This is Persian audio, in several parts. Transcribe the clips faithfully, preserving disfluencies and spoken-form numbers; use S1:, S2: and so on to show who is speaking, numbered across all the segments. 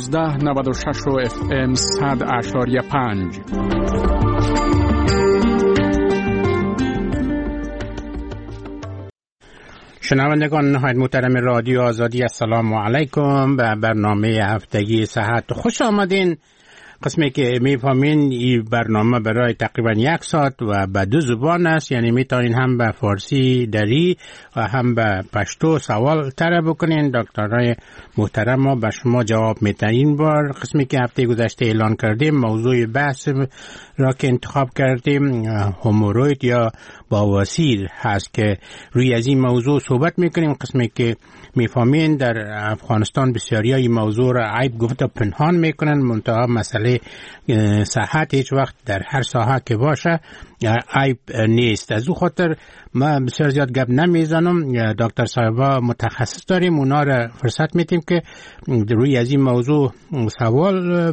S1: نوزده نود و شش و اف ام صد اعشاریه پنج.
S2: شنوندگان نهایت محترم رادیو آزادی، السلام علیکم. به برنامه هفتگی صحت خوش آمدین. قسمی که میفهمین این برنامه برای تقریبا یک ساعت و به دو زبان است، یعنی میتونین هم به فارسی دری و هم به پشتو سوال طرح بکنین. دکترای محترم ما به شما جواب میتن. این بار قسمی که هفته گذشته اعلان کردیم، موضوع بحث را که انتخاب کردیم هموروید یا بواسیر هست که روی از این موضوع صحبت میکنیم. قسمی که میفهمین در افغانستان بسیاری این موضوع را عیب گفته پنهان میکنن، منتها مسئله صحت هیچ وقت در هر ساحه که باشه عیب نیست. از او خاطر ما بسیار زیاد گپ نمیزنم. دکتر صاحبا متخصص داریم، اونا را فرصت میتیم که روی از این موضوع سوال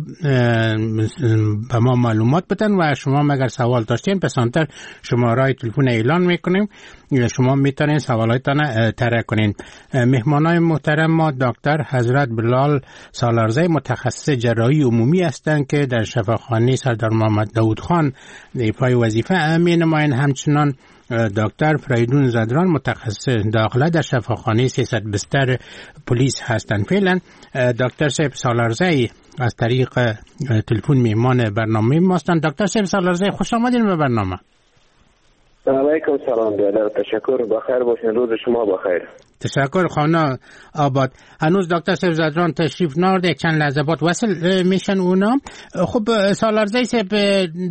S2: به ما معلومات بدن و شما مگر سوال داشتین پسانتر شماره تلفن اعلان میکنیم، شما میتونین سوالاتتان طرح کنین. مهمانای محترم ما دکتر حضرت بلال سالارزی متخصص جراحی عمومی هستند که در شفاخانه سردار محمد داود خان ایفای وظیفه می نمایند. همچنان دکتر فریدون زدران متخصص داخله در شفاخانه سیصد بستر پلیس هستند. فعلا دکتر صاحب سالارزی از طریق تلفن مهمان برنامه ما هستند. دکتر صاحب سالارزی خوش آمدین به برنامه.
S3: علیکم سلام برادر، تشکر، بخیر باشین، روز شما بخیر.
S2: تشکر خانه آباد. هنوز دکتر صاحب زدران تشریف نارده، چند لحظه بعد وصل میشن اونا. خب سالارزی صاحب،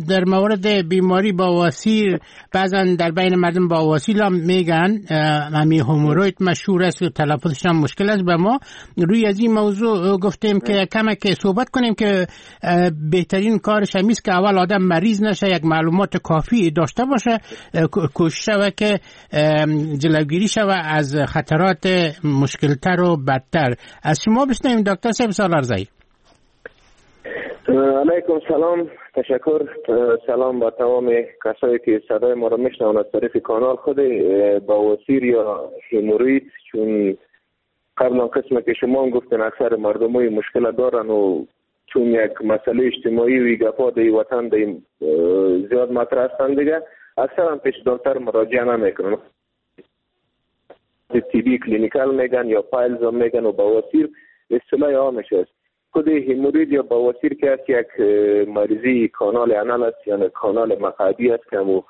S2: در مورد بیماری بواسیر بعضا در بین مردم بواسیر هم میگن، همی هموروید مشهور است و تلفظش هم مشکل است. به ما روی از این موضوع گفتیم که کمک که صحبت کنیم که بهترین کارش همیست که اول آدم مریض نشه، یک معلومات کافی داشته باشه، کوشش شوه که جلوگیری شوه از خطرات مشکلتر و بدتر. از شما بشنویم دکتر صاحب سالارزی.
S3: علیکم سلام، تشکر. سلام با تمام کسایی که صدای ما را میشنون از طریق کانال خود. بواسیر یا هموروید، چون قبلا قسم که شما هم گفتن اکثر مردم های مشکل دارن و چون یک مسئله اجتماعی و گپا دی وطن دی زیاد مطرح هستن دیگه، اکثرا پیش دکتر مراجعه نمیکنن. طبی clinical میگن یا piles هم میگن و بواسیر اصطلاح عامش است. خود هموروید یا بواسیر که است یک مریضی کانال anal است، یعنی کانال مقعدی است که همو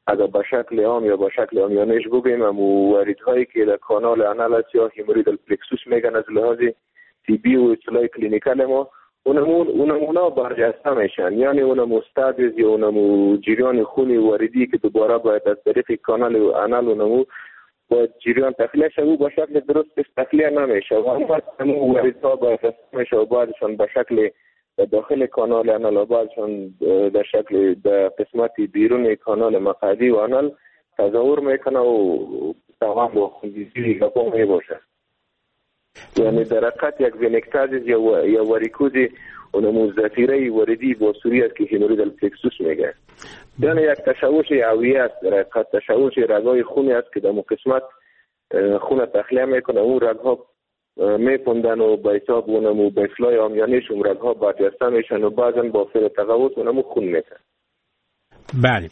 S3: اگر به شکل عام یا به شکل عامیانش بگیم همو وریدهایی که در کانال anal است یا hemorrhoidal plexus میگن از لحاظ طبی و اصطلاح clinical ما، اونمون اونمونا برجسته میشن، یعنی اونمو stasis یا اونمو جریان خونی وریدی که دوباره باید از طریق کانال anal اونمو باید جریان تخلیه شه، او با شکل درست تخلیه نمیشه و همون وریدها برجسته میشه و بعدشان به شکل داخل کانال anal و بعدشان در شکل در قسمت بیرون کانال مقعدی و anal تظاهر میکنه و تمام با خونریزی گپا میباشه. یعنی در حقیقت یک vein ectasis یا یا واریکوز اونمو ذخیره وریدی باسوری است که hemorrhoidal plexus میگه. یعنی یک تشوش اوعیه است، در حقیقت تشوش رگای خونی است که در مو قسمت خون تخلیه میکنه، اون رگها میپندن و به حساب اونمو به اصطلاح عامیانش اون رگها برجسته میشن و بعضا با فعل تقوس اونمو خون میتن.
S2: بله.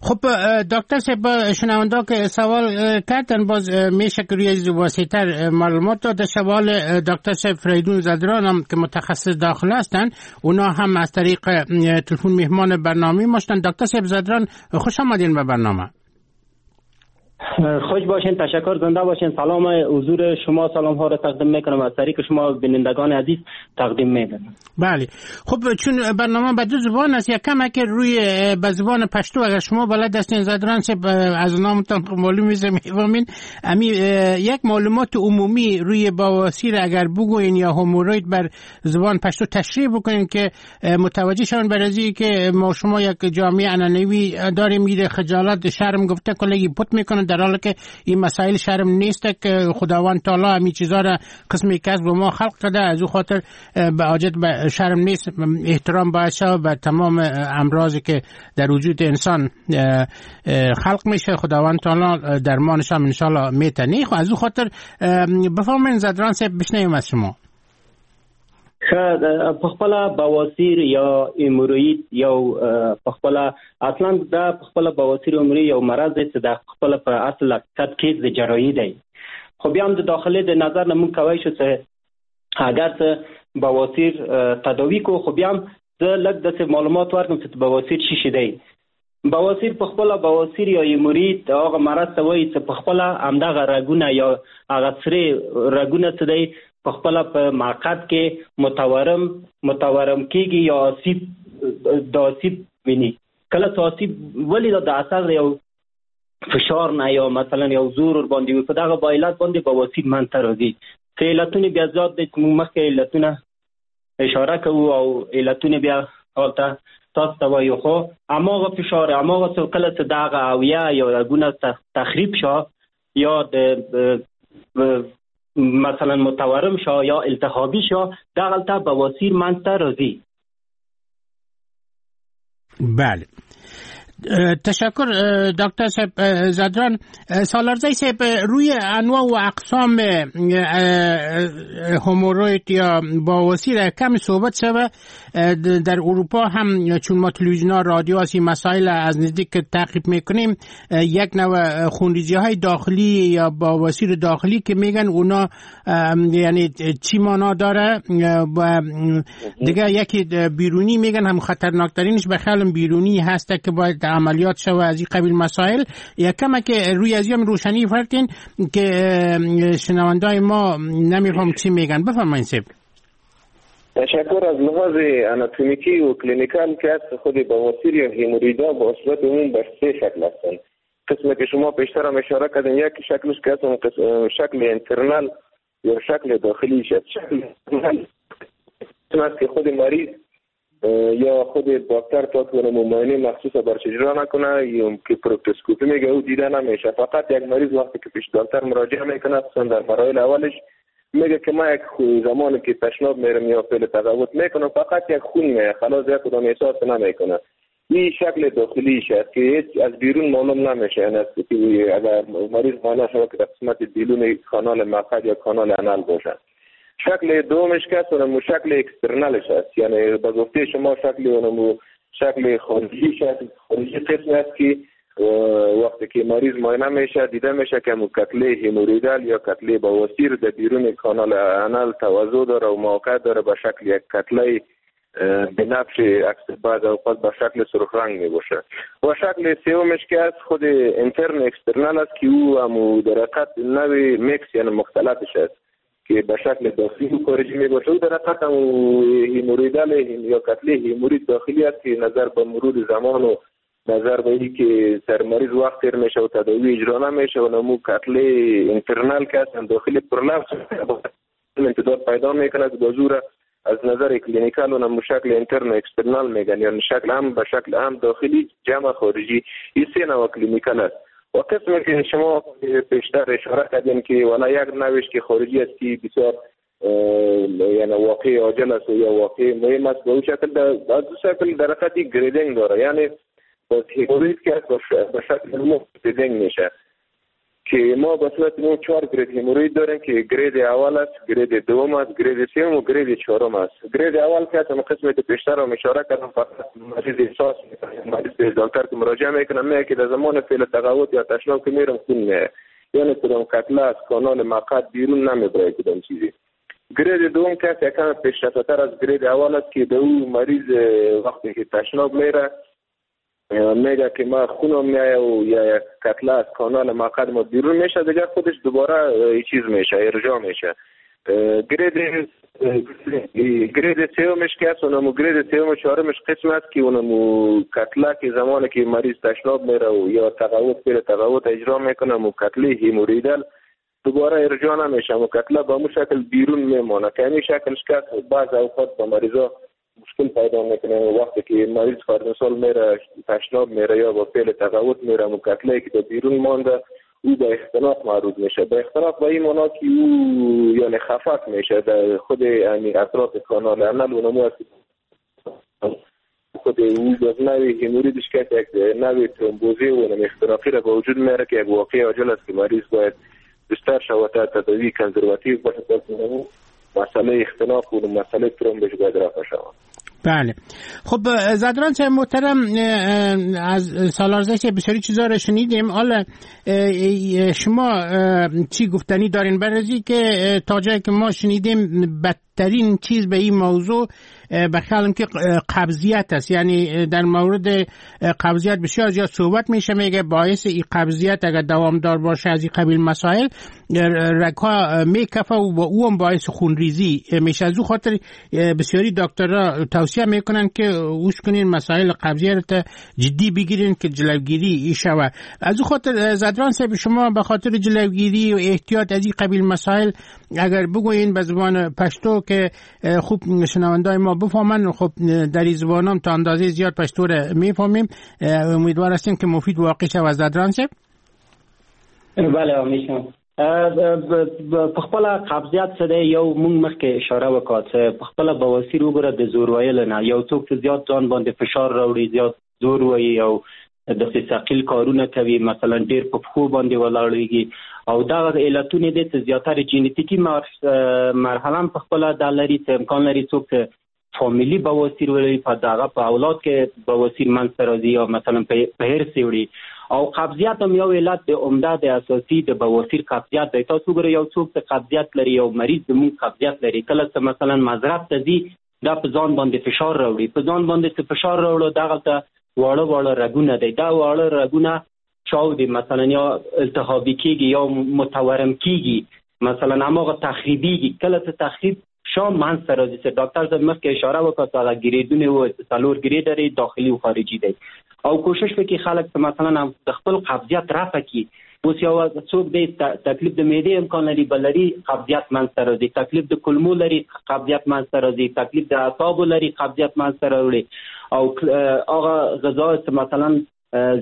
S2: خب دکتر صاحب، شنونده که سوال کردن باز میشه که روی واسطه معلومات داده. سوال دکتر صاحب فریدون زدران هم که متخصص داخل هستن، اونا هم از طریق تلفن مهمان برنامه ماشتن. دکتر صاحب زدران خوش آمدین به برنامه.
S4: خوش باشین، تشکر، زنده باشین. سلام حضور شما، سلام ها را تقدیم میکنم از طریق شما بینندگان عزیز تقدیم میکنم.
S2: بله. خب چون برنامه به دو زبان است، یکم که روی به زبان پشتو اگر شما بلد هستین زدران صاحب از نامتان معلوم میشه میفهمین، امی یک معلومات عمومی روی بواسیر اگر بگوین یا هموروید بر زبان پشتو تشریح بکنین که متوجه شون، برای که ما شما یک جامعه عنعنوی داریم، میره خجالت شرم گفته کلگی پت میکنه، در حالی که این مسائل شرم نیست که خداوند تعالی همین چیزا را قسمی که از ما خلق کرده، از او خاطر به حاجت به شرم نیست، احترام باید شود به تمام امراضی که در وجود انسان خلق میشه، خداوند تعالی درمانش هم انشالله میتنه. خب از او خاطر بفرمایید زدران صاحب، بشنویم از شما.
S4: ښه، په خپله بواسیر یا هیموروید یو په خپله اصلا دا په خپله بواسیر هیموروید یو مرض دی چې د خپله په اصل حقیقت کې د جراحي دی، خو بیا هم د داخلي د نظر نه موږ کوی شو چې اگر څه بواسیر تداوي کو، خو بیا هم زه لږ داسې معلومات ورکړم چې بواسیر څه شی دی. بواسیر په خپله بواسیر یا هیموروید هغه مرض ته وایي چې په خپله همدغه رګونه یا هغه سرې رګونه څه دی په خپله په معقد کې متورم متورم کیږي یا آسیب د آسیب ویني. کله چې آسیب ولې دا د اثر یو فشار نه یا مثلا یو زور ور باندې وي، په دغه با علت باندې بواسیر منځته راځي. چې علتونه بیا زیات دی چې موږ مخکې علتونه اشاره کوو او علتونه بیا هلته تاسو ته وایو، خو هماغه فشار هماغه څه کله چې دغه اویا یا رګونه تخریب شو یا د مثلا متورم شو یا التهابي شو، دغلته بواسیر منځته راځي.
S2: بله، تشکر دکتر صاحب زدران. سالارزی صاحب، روی انواع و اقسام هموروید یا بواسیر کم صحبت شوه. در اروپا هم چون ما تلویزیون ها رادیو هستی مسائل از نزدیک تعقیب میکنیم، یک نوع خونریزی های داخلی یا بواسیر داخلی که میگن اونا یعنی چی مانا داره و دیگه یکی بیرونی میگن هم خطرناکترینش به خیالم بیرونی هسته که باید عملیات شوه از این قبیل مسائل. یکم که روی از هم روشنی فرتین که شنوندای ما نمیفهم چی میگن. بفرمایید صاحب.
S3: تشکر. از لحاظ اناتومیکی و clinical که از خود بواسیر یا هیموریدا با صورت عموم بر سه شکل هستند. قسمی که شما پیشتر هم اشاره کردین، یک شکلش که از شکل internal یا شکل داخلی شد. شکل internal است که خود مریض یا خود دکتر تا که معاینه مخصوص برش اجرا نکنه یا که پروکتوسکوپی میگه او دیده نمیشه. فقط یک مریض وقتی که پیش دکتر مراجعه میکنه، خصوصا در مراحل اولش، میگه که ما یک زمانی که تشناب میرم یا فعل تغوط میکنم فقط یک خون میاد، خلاص یک کدام احساس نمیکنه. این شکل داخلیش است که هیچ از بیرون معلوم نمیشه. یعنی اگر مریض معاینه شود که در قسمت بیرون کانال مقعد یا کانال anal باشه. شکل دومش که است اونم شکل external ش است، یعنی به گفته شما شکل اونم شکل خارجیش است. خارجی قسم است که وقتی که مریض معاینه میشه دیده میشه که کتله hemorrhoidal یا کتله بواسیر در بیرون کانال anal توضع داره و موقع داره به شکل یک کتله بنفش اکثر بعض اوقات به شکل سرخ رنگ می باشه. و شکل سومش که از خود intern external است که او هم در حقیقت نوع میکس یعنی مختلطش است که به شکل داخلی و خارجی می باشه. او در حقیقت هم hemorrhoidal یا کتله همورید داخلی است که نظر به مرور زمان و نظر به این که سر مریض وقت تیر میشه و تداوی اجرا نمیشه و نمو کتله internal که است داخلی prolapse امتداد پیدا میکنه که بازور از نظر clinical و شکل intern و external میگن، یعنی شکل هم به شکل هم داخلی جمع خارجی. این سه نوع clinical است. و قسمی که شما پیشتر اشاره کردین که والا یک نوعش که خارجی است که بسیار یعنی واقع عاجل است یا واقع مهم است، به اون شکل در دو شکل در حقیقت grading داره، یعنی با hemorrhoid که به شکل مو grading میشه که ما به صورت مو چهار grade hemorrhoid داریم که grade اول است، grade دوم است، grade سوم و grade چهارم است. grade اول که هم قسمی که پیشتر هم اشاره کردم، فقط مریض احساس میکنه، مریض به دکتر که مراجعه میکنه میگه که در زمان فعل تغوط یا تشناب که میرم خون میاد، یعنی کدام کتله از کانال مقعد بیرون نمیبره کدام چیزی. grade دوم که یکم پیشرفته‌تر از grade اول است که به او مریض وقتی که تشناب میره میگه که ما خونم میایه و یا یک کتله از کانال مقعد ما بیرون میشه، دیگه خودش دوباره چیز میشه، ارجاع میشه. grade grade سومش که است اونمو grade سوم و چهارمش قسم است که اونمو کتله که زمانی که مریض تشناب میره و یا تغوط میره تغوط اجرا میکنه، مو کتله hemorrhoidal دوباره ارجاع نمیشه، مو کتله به مو شکل بیرون میمانه که همین شکلش که بعض اوقات با مریضا مشکل پیدا میکنه. وقتی که مریض فرض مثال میره تشناب میره یا با فعل تغوط میره، مو کتله که بیرون مانده او به اختناق معروض میشه. به اختناق به این معنا که او یعنی خفق میشه در خود یعنی اطراف کانال anal و نمو خود او به نوع hemorrhoid ش که یک نوع ترومبوزی و نوع اختناقی را به وجود میاره که یک واقعه عاجل است که مریض باید بستر شود تا تداوی conservative باشه تا مسئله اختناق و مسئله ترومبش باید رفع شود.
S2: بله. خب زدران صاحب محترم، از سالارزه صاحب بسیاری چیزا را شنیدیم. حالا شما چی گفتنی دارین برای که تا جایی که ما شنیدیم بدترین چیز به این موضوع به خیالم که قبضیت است. یعنی در مورد قبضیت بسیار زیاد صحبت میشه، میگه باعث این قبضیت اگر دوامدار باشه از این قبیل مسائل رگ‌ها میکفه و او هم باعث خونریزی میشه. از او خاطر بسیاری دکترها توصیه میکنن که اوش کنین مسائل قبضیت رو جدی بگیرین که جلوگیری شوه. از او خاطر زدران صاحب شما به خاطر جلوگیری و احتیاط از این قبیل مسائل اگر بگوین به زبان پشتو که خوب شنوندای ما بفهمن، خب در این زبانم تا اندازه زیاد پشتو رو میفهمیم، امیدوار هستیم که مفید واقع شود. زدران صاحب.
S4: بله آمیشم. په خپل قبضیت څه دی، یو مونږ مخکې اشاره وکړه چې په خپل بواسیر وګوره د زور ویل نه، یو څوک چې زیات ځان باندې فشار راوړي، زیات زور وایي او داسې ثقیل کارونه کوي، مثلا ډېر په پښو باندې ولاړېږي، او دغه علتونه دي چې زیاتره جینیتیکي مرحله هم په خپله دا لري چې امکان لري څوک چې فامیلی بواسیر ولري، په دغه په اولاد کې بواسیر منځته راځي یا مثلا په حرص یې وړي. او قبضیت هم یو علت د عمده د اساسي د بواسیر قبضیت دی. تاسو وګورئ یو څوک چې قبضیت لري، یو مریض زموږ قبضیت لري، کله چې مثلا مضرب ته ځي دا په ځان باندې فشار راوړي، په ځان باندې چې فشار راوړو دغلته واړه واړه رګونه دی، دا واړه رګونه چاودي مثلا یا التهابي کیږي یا متورم کیږي، مثلا هماغه تخریبیږي. کله چې تخریب شام منځته راځي چې ډاکټر صاحب مخکې اشاره وکړه چې هغه ګریډونه و، څلور ګریډ لري، داخلي او خارجي دی، او کوشش وکړي خلک چې مثلا د خپل قبضیت رفع کړي. اوس یو څوک دی تکلیف د معدې امکان لري بل لري، قبضیت منځته راځي، تکلیف د کولمو لري، قبضیت منځته راځي، تکلیف د اعصابو لري، قبضیت منځته راوړي، او هغه غذا چې مثلا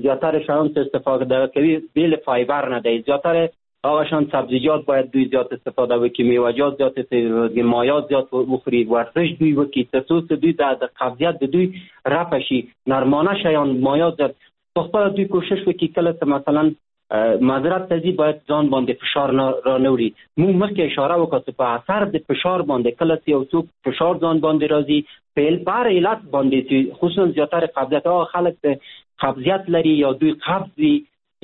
S4: زیاتره شیان چې استفاده کوي بې له فایبر نه دی، زیاتره هغه شان سبزیجات باید دوی زیات استفاده وکړي، میوه‌جات زیات استفاده وکړي، مایعات زیات بخوري، ورزش دوی وکړي، تر څو چې دوی د قبضیت د دوی رفع شي. نرمانه شیان، مایعات زیات په خپله دوی کوشش وکړي. کله چې مثلا معذرت ته ځي باید ځان باندې فشار نه را نه وړي. موږ مخکې اشاره وکړه چې په اثر د فشار باندې کله چې یو څوک فشار ځان باندې راځي په هر علت باندې چې خصوصا زیاتره قبضیت هغه خلک چې قبضیت لري یا دوی قبض وي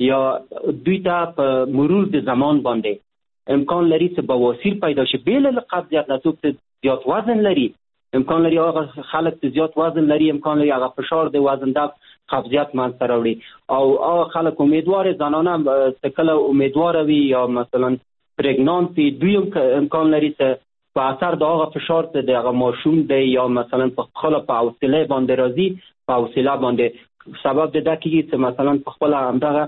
S4: یا دوی ته په مرور د زمان باندې امکان لري چې بواسیر پیدا شي بې له قبضیت نه. څوک چې زیات وزن لري امکان لري هغه خلک چې زیات وزن لري امکان لري هغه فشار د وزن د قبضیت منځته راوړي. او هغه خلک امیدوار زنانه چې کله امیدوار وي یا مثلا pregnant وي دوی هم امکان لري چې په اثر د هغه فشار چې د هغه ماشوم دی یا مثلا په خپله په حوصله باندې راځي، په حوصله باندې سبب د دا کېږي چې مثلا په خپله همدغه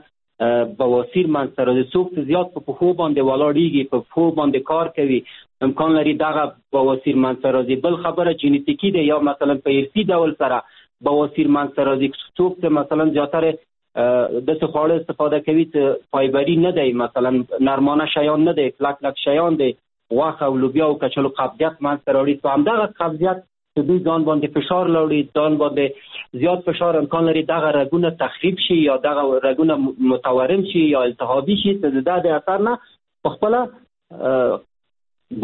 S4: بواسیر منځته راځي. څوک چې زیات په پښو باندې ولاړېږي، په پښو باندې کار کوي، امکان لري دغه بواسیر منځته راځي. بل خبره جینیتیکي دی یا مثلا په ارثي ډول سره بواسیر منځته راځي. څوک چې مثلا زیاتره داسې خواړه استفاده کوي چې فایبري نه دی، مثلا نرمانه شیان نه دی، کلک کلک شیان دی، غوښه او لوبیا او کچالو، قبضیت منځته راوړي. په همدغه قبضیت چې دوی ځان باندې فشار راوړي، ځان باندې زیات فشار امکان لري دغه رګونه تخریب شي یا دغه رګونه متورم شي یا التهابي شي چې د د اثر نه په خپله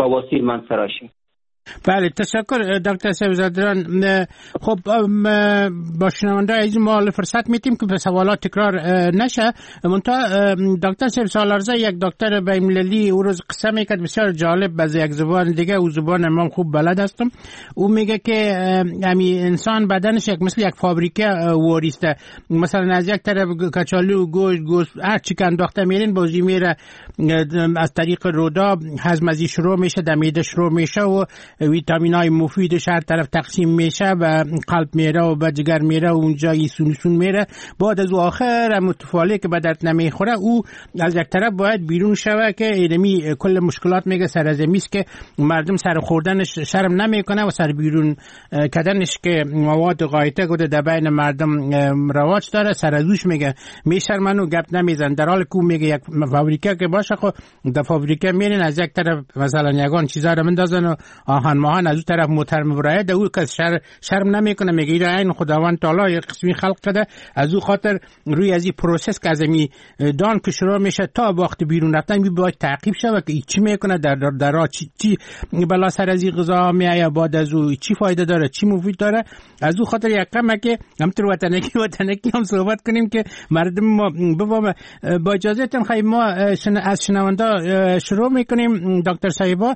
S4: بواسیر منځته راشي.
S2: بله تشکر دکتر صاحب زادران. خب با شنونده عزیز ما فرصت میتیم که به سوالات تکرار نشه. منتها دکتر صاحب سالارزه یک دکتر بین‌المللی او روز قصه میکرد بسیار جالب، از یک زبان دیگه او زبان من خوب بلد هستم. او میگه که امی انسان بدنش یک مثل یک فابریکه واریسته، مثلا از یک طرف کچالو، گوشت، گوشت هر چی که انداخته میرین بازی میره از طریق رودا هضم ازی شروع میشه، در معده شروع میشه و ویتامین های مفیدش هر طرف تقسیم میشه و قلب میره و به جگر میره و اونجا ایسون سون میره. بعد از او آخر متفاله که به درد نمیخوره او از یک طرف باید بیرون شوه که اینمی کل مشکلات میگه سر از میست که مردم سر خوردنش شرم نمیکنه و سر بیرون کردنش که مواد غایطه گوده در بین مردم رواج داره، سر از اوش میگه میشرمن و گپ نمیزن. در حال که میگه یک فابریکه که باشه خب در فابریکه میرین از یک طرف مثلا یگان چیزا رو مندازن و ماهان ماهان از اون طرف موتر مبرایه ده او کس شر شرم نمیکنه، میگه اینا عین خداوند تعالی یک قسمی خلق کرده. از او خاطر روی از این process که از می دان که شروع میشه تا وقت بیرون رفتن بی باید تعقیب شوه که چی میکنه در در, در چی, چی بلا سر از این غذا میآید، بعد از او چی فایده داره، چی مفید داره. از او خاطر یک کم که همطور وطنکی وطنکی هم صحبت کنیم که مردم ما بفهمه. با اجازهتون خیلی ما از شنونده شروع میکنیم. دکتر صاحبا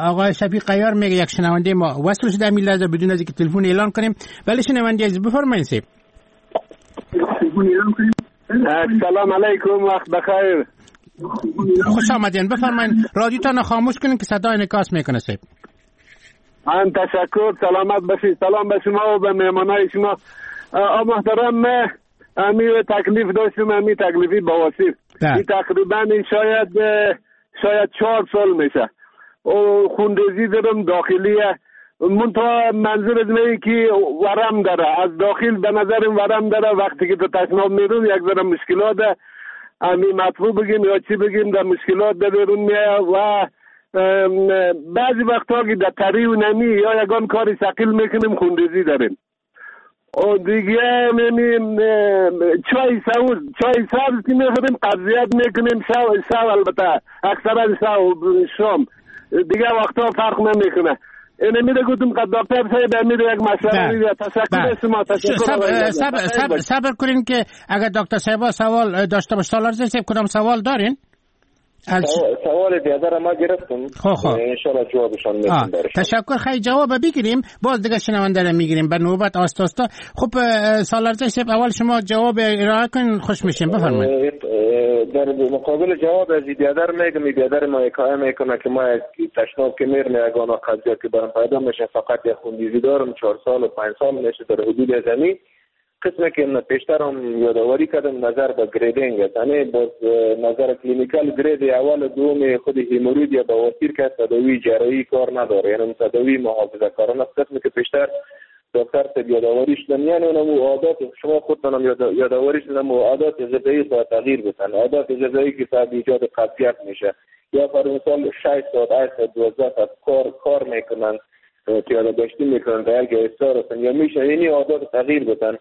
S2: آقای شفیق قیار میگه یک شنونده ما وصل شده همین لحظه بدون از اینکه تلفن اعلان کنیم. ولی شنونده عزیز بفرمایید. سیب
S5: سلام علیکم، وقت بخیر،
S2: خوش آمدین. بفرمایید رادیوتان خاموش کنین که صدای انعکاس میکنه. سیب
S5: من تشکر، سلامت باشید. سلام به شما و به مهمانای شما. آ محترم، امی تکلیف داشتم، امی تکلیفی بواسیر این تقریبا شاید شاید چهار سال میشه و خونریزی دارم داخلیه. منتها منظور از اینه که ورم داره از داخل، به نظرم ورم داره. وقتی که تو تشناب میرون یک ذره مشکلات امی مطلوب بگیم یا چی بگیم در مشکلات در بیرون میایه و بعضی وقتها که در تری و نمی یا یگان کاری ثقیل میکنیم خونریزی داریم. و دیگه می‌بینیم چای سبز، چای سبز که میخوریم قبضیت میکنیم شو شو البته اکثرا شو شام دیگه وقتا فرق نمیکنه. اینه میره گفتم که دکتر صاحب میره یک مشوره میده. تشکر شما، تشکر.
S2: صبر صبر صبر کنین که اگر دکتر صاحب سوال داشته باشه. سالار صاحب کدام سوال دارین؟
S3: سوال بیادر ما گرفتم،
S2: خب
S3: ان شاء الله جوابشان میدم.
S2: تشکر، خیلی جواب بگیریم باز دیگه شنونده رو میگیریم به نوبت آستا آستا. خب سالار صاحب اول شما جواب ارائه کنین، خوش میشیم. بفرمایید.
S3: در مقابل جواب از بیادر میگم، بیادر ما حکایه میکنه که ما تشناب که میرم یگانه قضیه که برام پیدا میشه فقط یک خونریزی دارم، چهار سال و پنج سال میشه در حدود زمین. قسمی که من پیشتر هم یادآوری کردم نظر به grading است، یعنی باز نظر clinical grade اول و دوم خود hemorrhoid یا بواسیر که تداوی جراحی کار نداره، یعنی تداوی محافظه کارانه است. قسمی که پیشتر دکتر صاحب یادآوری شدن، یعنی اونم عادات شما خودتون هم یادآوری شدن و عادات غذایی باید تغییر بدن. عادات غذایی که سبب ایجاد قبضیت میشه، یا فرض مثال شش ساعت هشت ساعت دوازده ساعت کار کار میکنن، پیاده گشتی میکنن، در یک استار یا میشه، یعنی عادات تغییر بدن.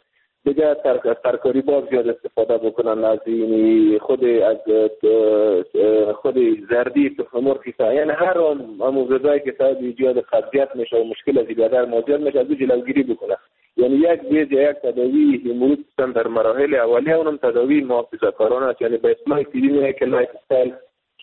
S3: دیگه ترکاری باز زیاد استفاده بکنن از این خود از خود زردی تخم مرغ، یعنی هر آن غذایی که سبب ایجاد قبضیت میشه و مشکل از بدن ما زیاد میشه از او جلوگیری بکنه. یعنی یک بیز یا یک تداوی hemorrhoid در مراحل اولیه، اونم تداوی محافظه‌کارانه است، یعنی به اصطلاح طبی میگه که lifestyle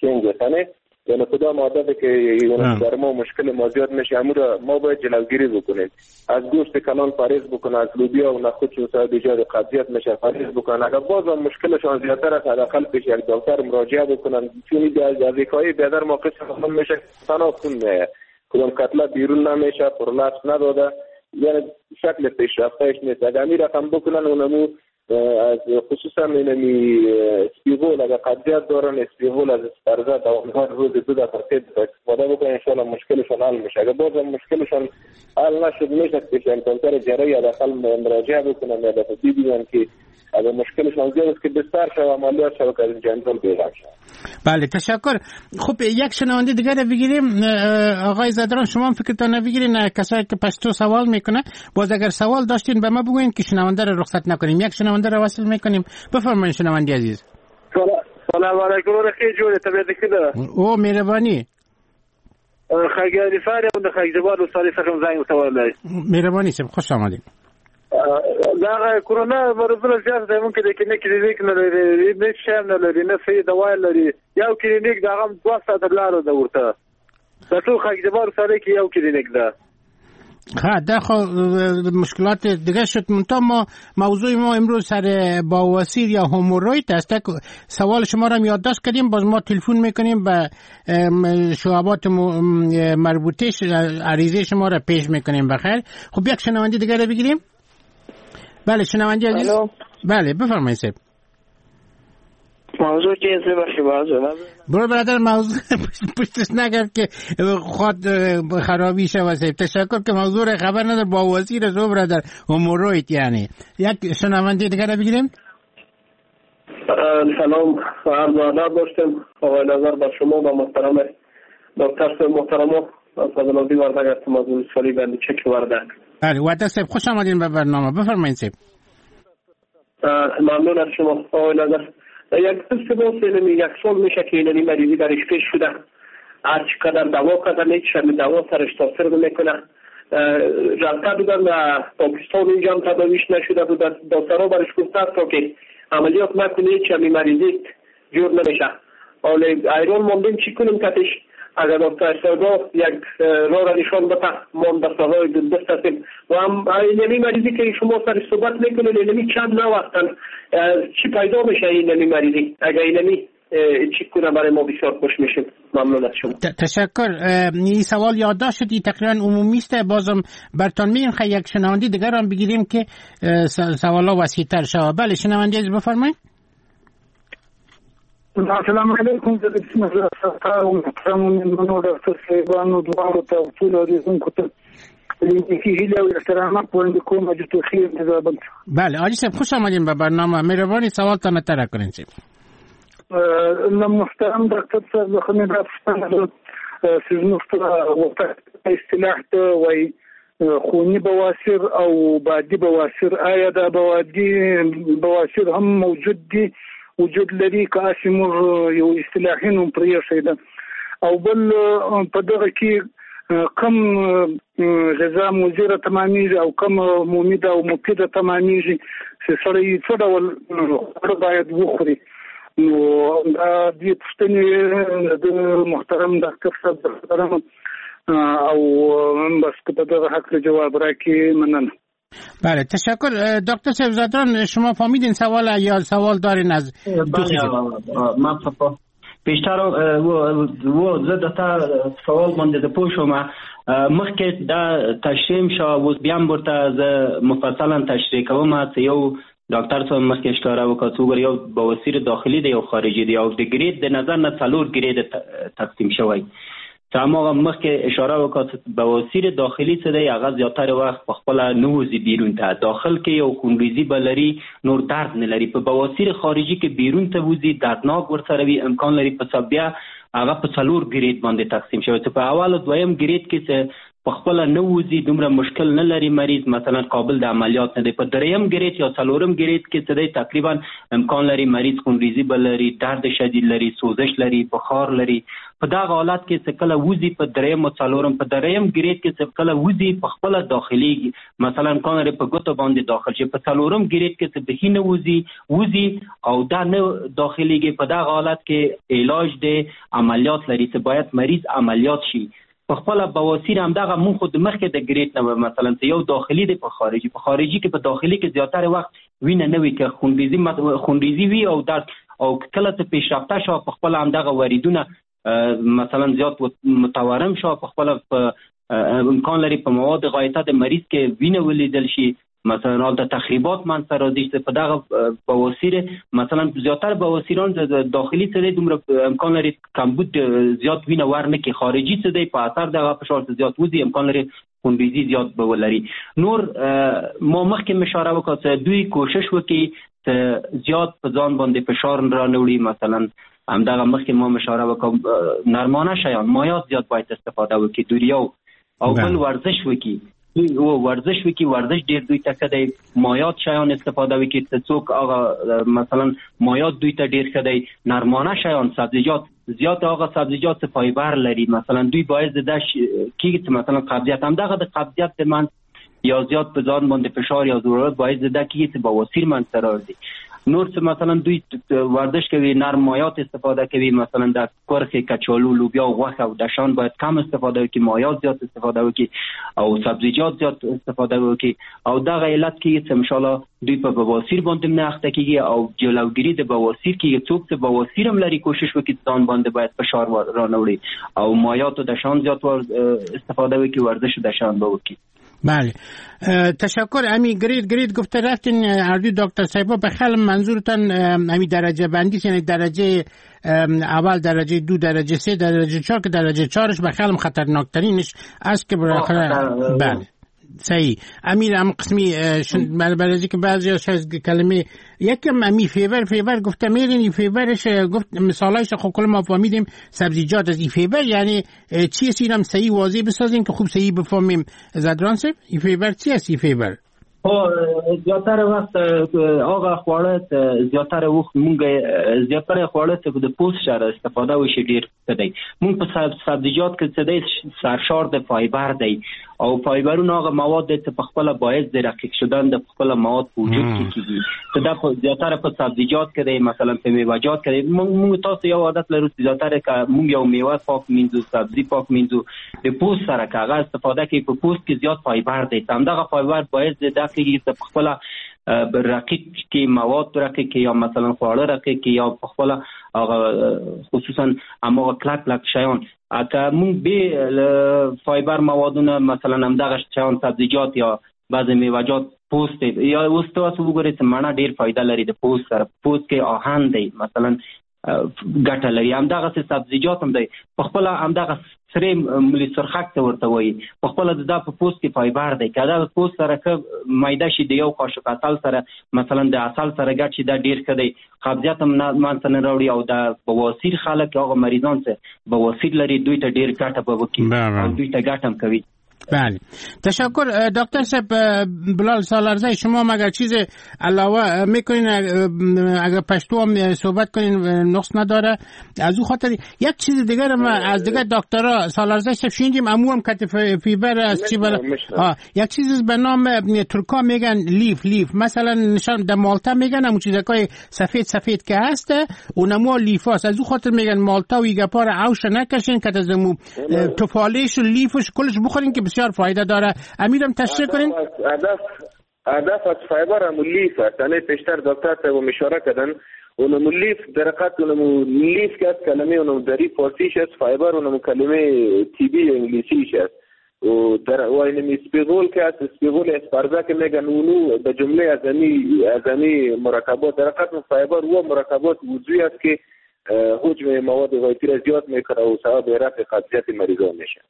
S3: change، یعنی کدام عادت که در ما مشکل ما زیاد میشه امور ما باید جلوگیری بکنیم. از گوشت کلان پرهیز بکنه، از لوبیا و نخود چون سبب ایجاد قبضیت میشه پرهیز بکنن. اگر بازم مشکلشان زیادتر است حداقل پیش یک دکتر مراجعه بکنن، چون از وقایع بیادر ما قسم میشه تنها خون میایه، کدام کتله بیرون نمیشه، prolapse نداده، یعنی شکل پیشرفتهش نیست. اگر می رقم بکنن اونمو از خصوصا اینمی اسپیغول اگر قبضیت دارن اسپیغول از اسپرزه دوامدار روز دو دفعه سه دفعه استفاده بکنن ان شاء الله مشکلشان حل میشه. اگر بازم مشکلشان حل نشد میشه پیش دکتر جراحی حداقل مراجعه بکنن یا دفعه ببینن که اگر مشکلشان زیاد است که بستر شود عملیات شود که از این جنجال بیرون شود.
S2: بله تشکر. خب یک شنونده دیگر رو بگیریم. آقای زدران شما هم فکرتان بگیرین کسایی که پشتو سوال میکنه، باز اگر سوال داشتین به ما بگوین که شنونده رو رخصت نکنیم. یک شنونده رو وصل میکنیم. بفرمایید شنونده عزیز.
S5: سلام علیکم ورحمت جوړ طبیعت ښه ده؟
S2: او مهربانی.
S5: خاګری فارم د خاګزبار وصالي څخه زنګ وتولای.
S2: مهربانی سم، خوش آمدید.
S5: دا کرونا مرضونه زیات دی، مونږ د کلینیک کلینیک نه لري، نه شی نه لري، نه صحیح دوا لري. یو کلینیک دا هم دوه ساعته لاره ده ورته، د ټول خاکجبار سره کې یو کلینیک ده.
S2: ها ده خو مشکلات دیگه شد. منتها ما موضوع ما امروز سر بواسیر یا hemorrhoid است. سوال شما را هم یادداشت کردیم، باز ما تلفن میکنیم به شعبات مربوطه عریضه شما را پیش میکنیم. بخیر. خب یک شنونده دیگه را بگیریم. بله شنونده عزیز. بله بفرمایید صاحب.
S6: موضوع چیه بخشی بازو
S2: برو برادر موضوع پشتش نگرد که خود خرابی شود. صاحب تشکر که موضوع را خبر ندار با وزیر زو برادر hemorrhoid. یعنی یک شنونده دیگر بگیریم.
S6: سلام و عرض ادب داشتم آقای نظر بر شما و محترم دکتر محترم فضل آبادی وردک هستم از ولسوالی بند چک وردک.
S2: بله وردک صاحب خوش آمدین به برنامه، بفرمایید صاحب.
S6: ممنون از شما آقای نظر. یک دوست ما یک سال میشه که اینمی مریضی درش پیش شده، هر چقدر دوا کردن هیچ دوا سرش تاثیر نمیکنه. رفته بودن و پاکستان اینجا هم تداویش نشده بود، دکترها برش گفته تا که عملیات نکنه هیچ همین مریضی جور نمیشه. حالا ایران ماندیم چی کنیم کتش؟ اگر دکتر صاحبا یک راه را نشان بده، ما دستهای دست هستیم و هم اینمی مریضی که شما سر صحبت میکنید اینمی چند نوع هستن، چی پیدا میشه اینمی مریضی؟ اگر اینمی چی کنه برای ما بسیار خوش میشیم. ممنون از شما.
S2: تشکر. این سوال یادداشت شد، این تقریبا عمومی است، بازم برتان میگیم خیلی یک شنونده دیگر هم بگیریم که سوالا وسیع‌تر شود. بله شنونده عزیز بفرمایید.
S7: السلام علیکم. بسم الله محترم میلمنو ډاکټر صاحبانو دواړو ته او ټولو اورېدونکو ته هیله او احترامات وړاندې کوم. جوتو خیر زابل.
S2: بله حاجی صاحب خوش آمدین به برنامه، مهربانی سوالتان مطرح کنین صاحب.
S7: له محترم ډاکټر صاحب څخه مې دا پوښتنه ده چې زموږ اصطلاح ته وایي خوني بواسیر او بادي بواسیر، آیا دا بوادي بواسیر هم موجود دي وجود لري که هسې موږ یو اصطلاحي نوم پرې ایښی ده؟ او بل په دغه کې کم غذا مضره تمامېږي او کم ممیده او مفیده تمامېږي چې سړی څه ډول خواړه باید وخوري؟ نو دا دې پوښتنې د محترم ډاکټر صاحب لرم او بس که په دغه هکله جواب راکړي مننه.
S2: بله تشکر. دکتر صاحب زادران شما فهمیدین سوال یا سوال دارین از؟
S4: بله من پیشتر و زه د تا سوال باندې د پوه شوم. مخکې دا تشریح شو، اوس بیا هم ورته زه مفصلا تشریح کوم. چې یو ډاکټر صاحب مخکې اشاره وکړه چې وګوره یو بواسیر داخلي دی یو خارجي دی، او د grade د نظر نه څلور grade تقسیم شوی. چې هماغه مخکې اشاره وکړه چې بواسیر داخلي څه دی، هغه زیاتره وخت په خپله نه وځي بیرون ته، داخل کې یو خونریزي به لري نور درد نه لري. په بواسیر خارجي کې بیرون ته وځي دردناک ورسره وي، امکان لري په بیا هغه په څلور grade باندې تقسیم شوی. چې په اول او دویم grade کې څه په خپله نه وځي دومره مشکل نه لري مریض، مثلا قابل د عملیات نه دی. په دریم grade یا څلورم grade کې څه دی تقریبا امکان لري مریض خونریزي به لري، درد شدید لري، سوزش لري، بخار لري. په دغه حالت کې څه کله وځي په دریم او څلورم، په دریم grade کې څه کله وځي په خپله داخليږي، مثلا امکان لري په ګوتو باندې داخل شي. په څلورم grade کې څه بهي نه وځي وځي او دا نه داخليږي، په دغه حالت کې علاج دی عملیات لري چې باید مریض عملیات شي. په خپله بواسیر هم دغه مونږ خو د مخکې د grade نه مثلا چې یو داخلي دی په خارجي، په خارجي کې په داخلي کې زیاتره وخت وینه نه وي، که خونریزي خونریزي وي او درد او کله چې پیشرفته شو په خپله هم دغه وریدونه مثلا زیات متورم شو، په خپله امکان لري په مواد غایطه د مریض کې وینه ولیدل شي، مثلا هلته تخریبات منځته راځي. چې په دغه بواسیر مثلا زیاتره بواسیران داخلي څه دی دومره امکان لري کمبود زیات وینه ورنه کړي، خارجي څه دی په اثر دغه فشار څه زیات وځي امکان لري خونریزي زیات به ولري. نور ما مخکې اشاره وکړه چې دوی کوشش وکړي چې زیات په ځان باندې فشار را نه وړي، مثلا همدغه مخکې ما اشاره وکړه نرمانه شیان مایات زیات باید استفاده وکړي دوریو، او بل ورزش وکړي، او ورزش وکړي، ورزش ډیر دوی ته ښه دی، مایات شیان استفاده وکړي چې څوک هغه مثلا مایات دوی ته ډیر ښه دی، نرمانه شیان سبزیجات زیات هغه سبزیجات چې فایبر لري مثلا دوی باید د کیږي چې مثلا قبضیت هم دغه د قبضیت د من یا زیات په ځان باندې فشار یا ضرورت باید ده کیږي چې بواسیر منځته راځي. نور څه مثلا دوی ورزش کوي، نرم مایات استفاده کوي، مثلا د کرخې، کچالو، لوبیا، غوښه او دشان باید کم استفاده وکړي، مایات زیات استفاده وکړي او سبزیجات زیات استفاده وکړي. او دغه علت کیږي چې انشاءالله دوی په بواسیر باندې نه اخته کیږي او جلوګیري د بواسیر کیږي. څوک چې بواسیر هم لري کوشش وکړي ځان باندې باید فشار را نه وړي او مایات او دشان زیات استفاده وکړي، ورزش دشان به وکړي.
S2: بله تشکر. امی grade grade گفته رفتین اردوی دکتر صاحبا، به خیال منظورتان امی درجه بندی یعنی درجه اول، درجه دو، درجه سه، درجه چهار که درجه چهارش به خیالم خطرناکترینش است که بالاخره بله صحیح. امیر هم قسمی برای که بعضی از کلمه یکم امی فیبر فیبر گفته میرین این فیبرش گفت مثالایش خب کل ما فهمیدیم سبزیجات از این فیبر یعنی چی است، اینم صحیح واضح بسازیم که خوب صحیح بفهمیم. زدران صاحب این فیبر چی است؟ این فیبر
S4: خو زیاتره وخت هغه خواړه زیاتره وخت مونږ زیاتره خواړه چې د پوست سره استفاده وشي ډیر ښه دی. مونږ په سبزیجات کې څه دی سرشار د فایبر دی او فایبرونه هغه مواد دی چې په خپله باعث د رقیق شدن د خپله مواد په وجود کې کېږي. چې دا زیاتره په سبزیجات کې دی، مثلا په میوهجات کې دی. مونږ تاسو یو عادت لرو چې زیاتره که مونږ یو میوه پاک مینځو، سبزي پاک مینځو، د پوست سره که هغه استفاده کوي په پوست کې زیات فایبر دی. همدغه فایبر باعث د دا کېږي چې په خپله رقیق کې مواد رقیق کې یا مثلا خواړه رقیق کې یا په خپله هغه خصوصا هماغه کلک کلک شیان که مونږ بې فایبر موادونه مثلا همدغه شیان سبزیجات یا بعضې میوهجات پوست یا اوس تاسو وګورئ چې مڼه ډېر فایده لري د پوست سره، پوست کې آهن دی مثلا ګټه لري. همدغسې سبزیجات هم دی په خپله همدغه سرې ملي سرخک ته ورته وایي، په خپله د دا په پوست کې فایبر دی که دا پوست سره ښه میده شي د یو قاشق عسل سره مثلا د عسل سره ګډ شي دا ډېر ښه دی، قبضیت هم منځته نه راوړي. او د بواسیر خلک هغه مریضان چې بواسیر لري دوی ته ډېر ګټه به وکړي او دوی ته ګټه هم کوي.
S2: بله تشکر دکتر صاحب بلال سالارزی. شما مگر چیز علاوه میکنین؟ اگر پشتو هم صحبت کنین نقص نداره. از او خاطر یک چیز دیگر ما از دیگر دکترا سالارزی صاحب شنیدیم امو هم کت فیبر از چی بلا یک چیز به نام ترکا میگن لیف لیف مثلا نشان در مالتا میگن همون چیزای سفید سفید که هست اونمو لیف هست. از او خاطر میگن مالتا و ایگپار اوش نکشین که از مو تفالش و لیفش کلش بخورین که بسیار فایده داره. امیرم تشریح کنین.
S3: هدف هدف از فایبر همون لیف است. یعنی پیشتر دکتر صاحب اشاره کردن اونم لیف در حقیقت اونم لیف که از کلمه اونم دری فارسیش است، فایبر اونم کلمه طبی انگلیسیش است. و در و اینم اسپیغول که است، اسپیغول اسپرزه که میگن اونو به جمله از امی از امی مرکبات در حقیقت فایبر و مرکبات عضوی است که حجم مواد غذایی را زیاد میکنه و سبب رفع قبضیت مریضان میشه.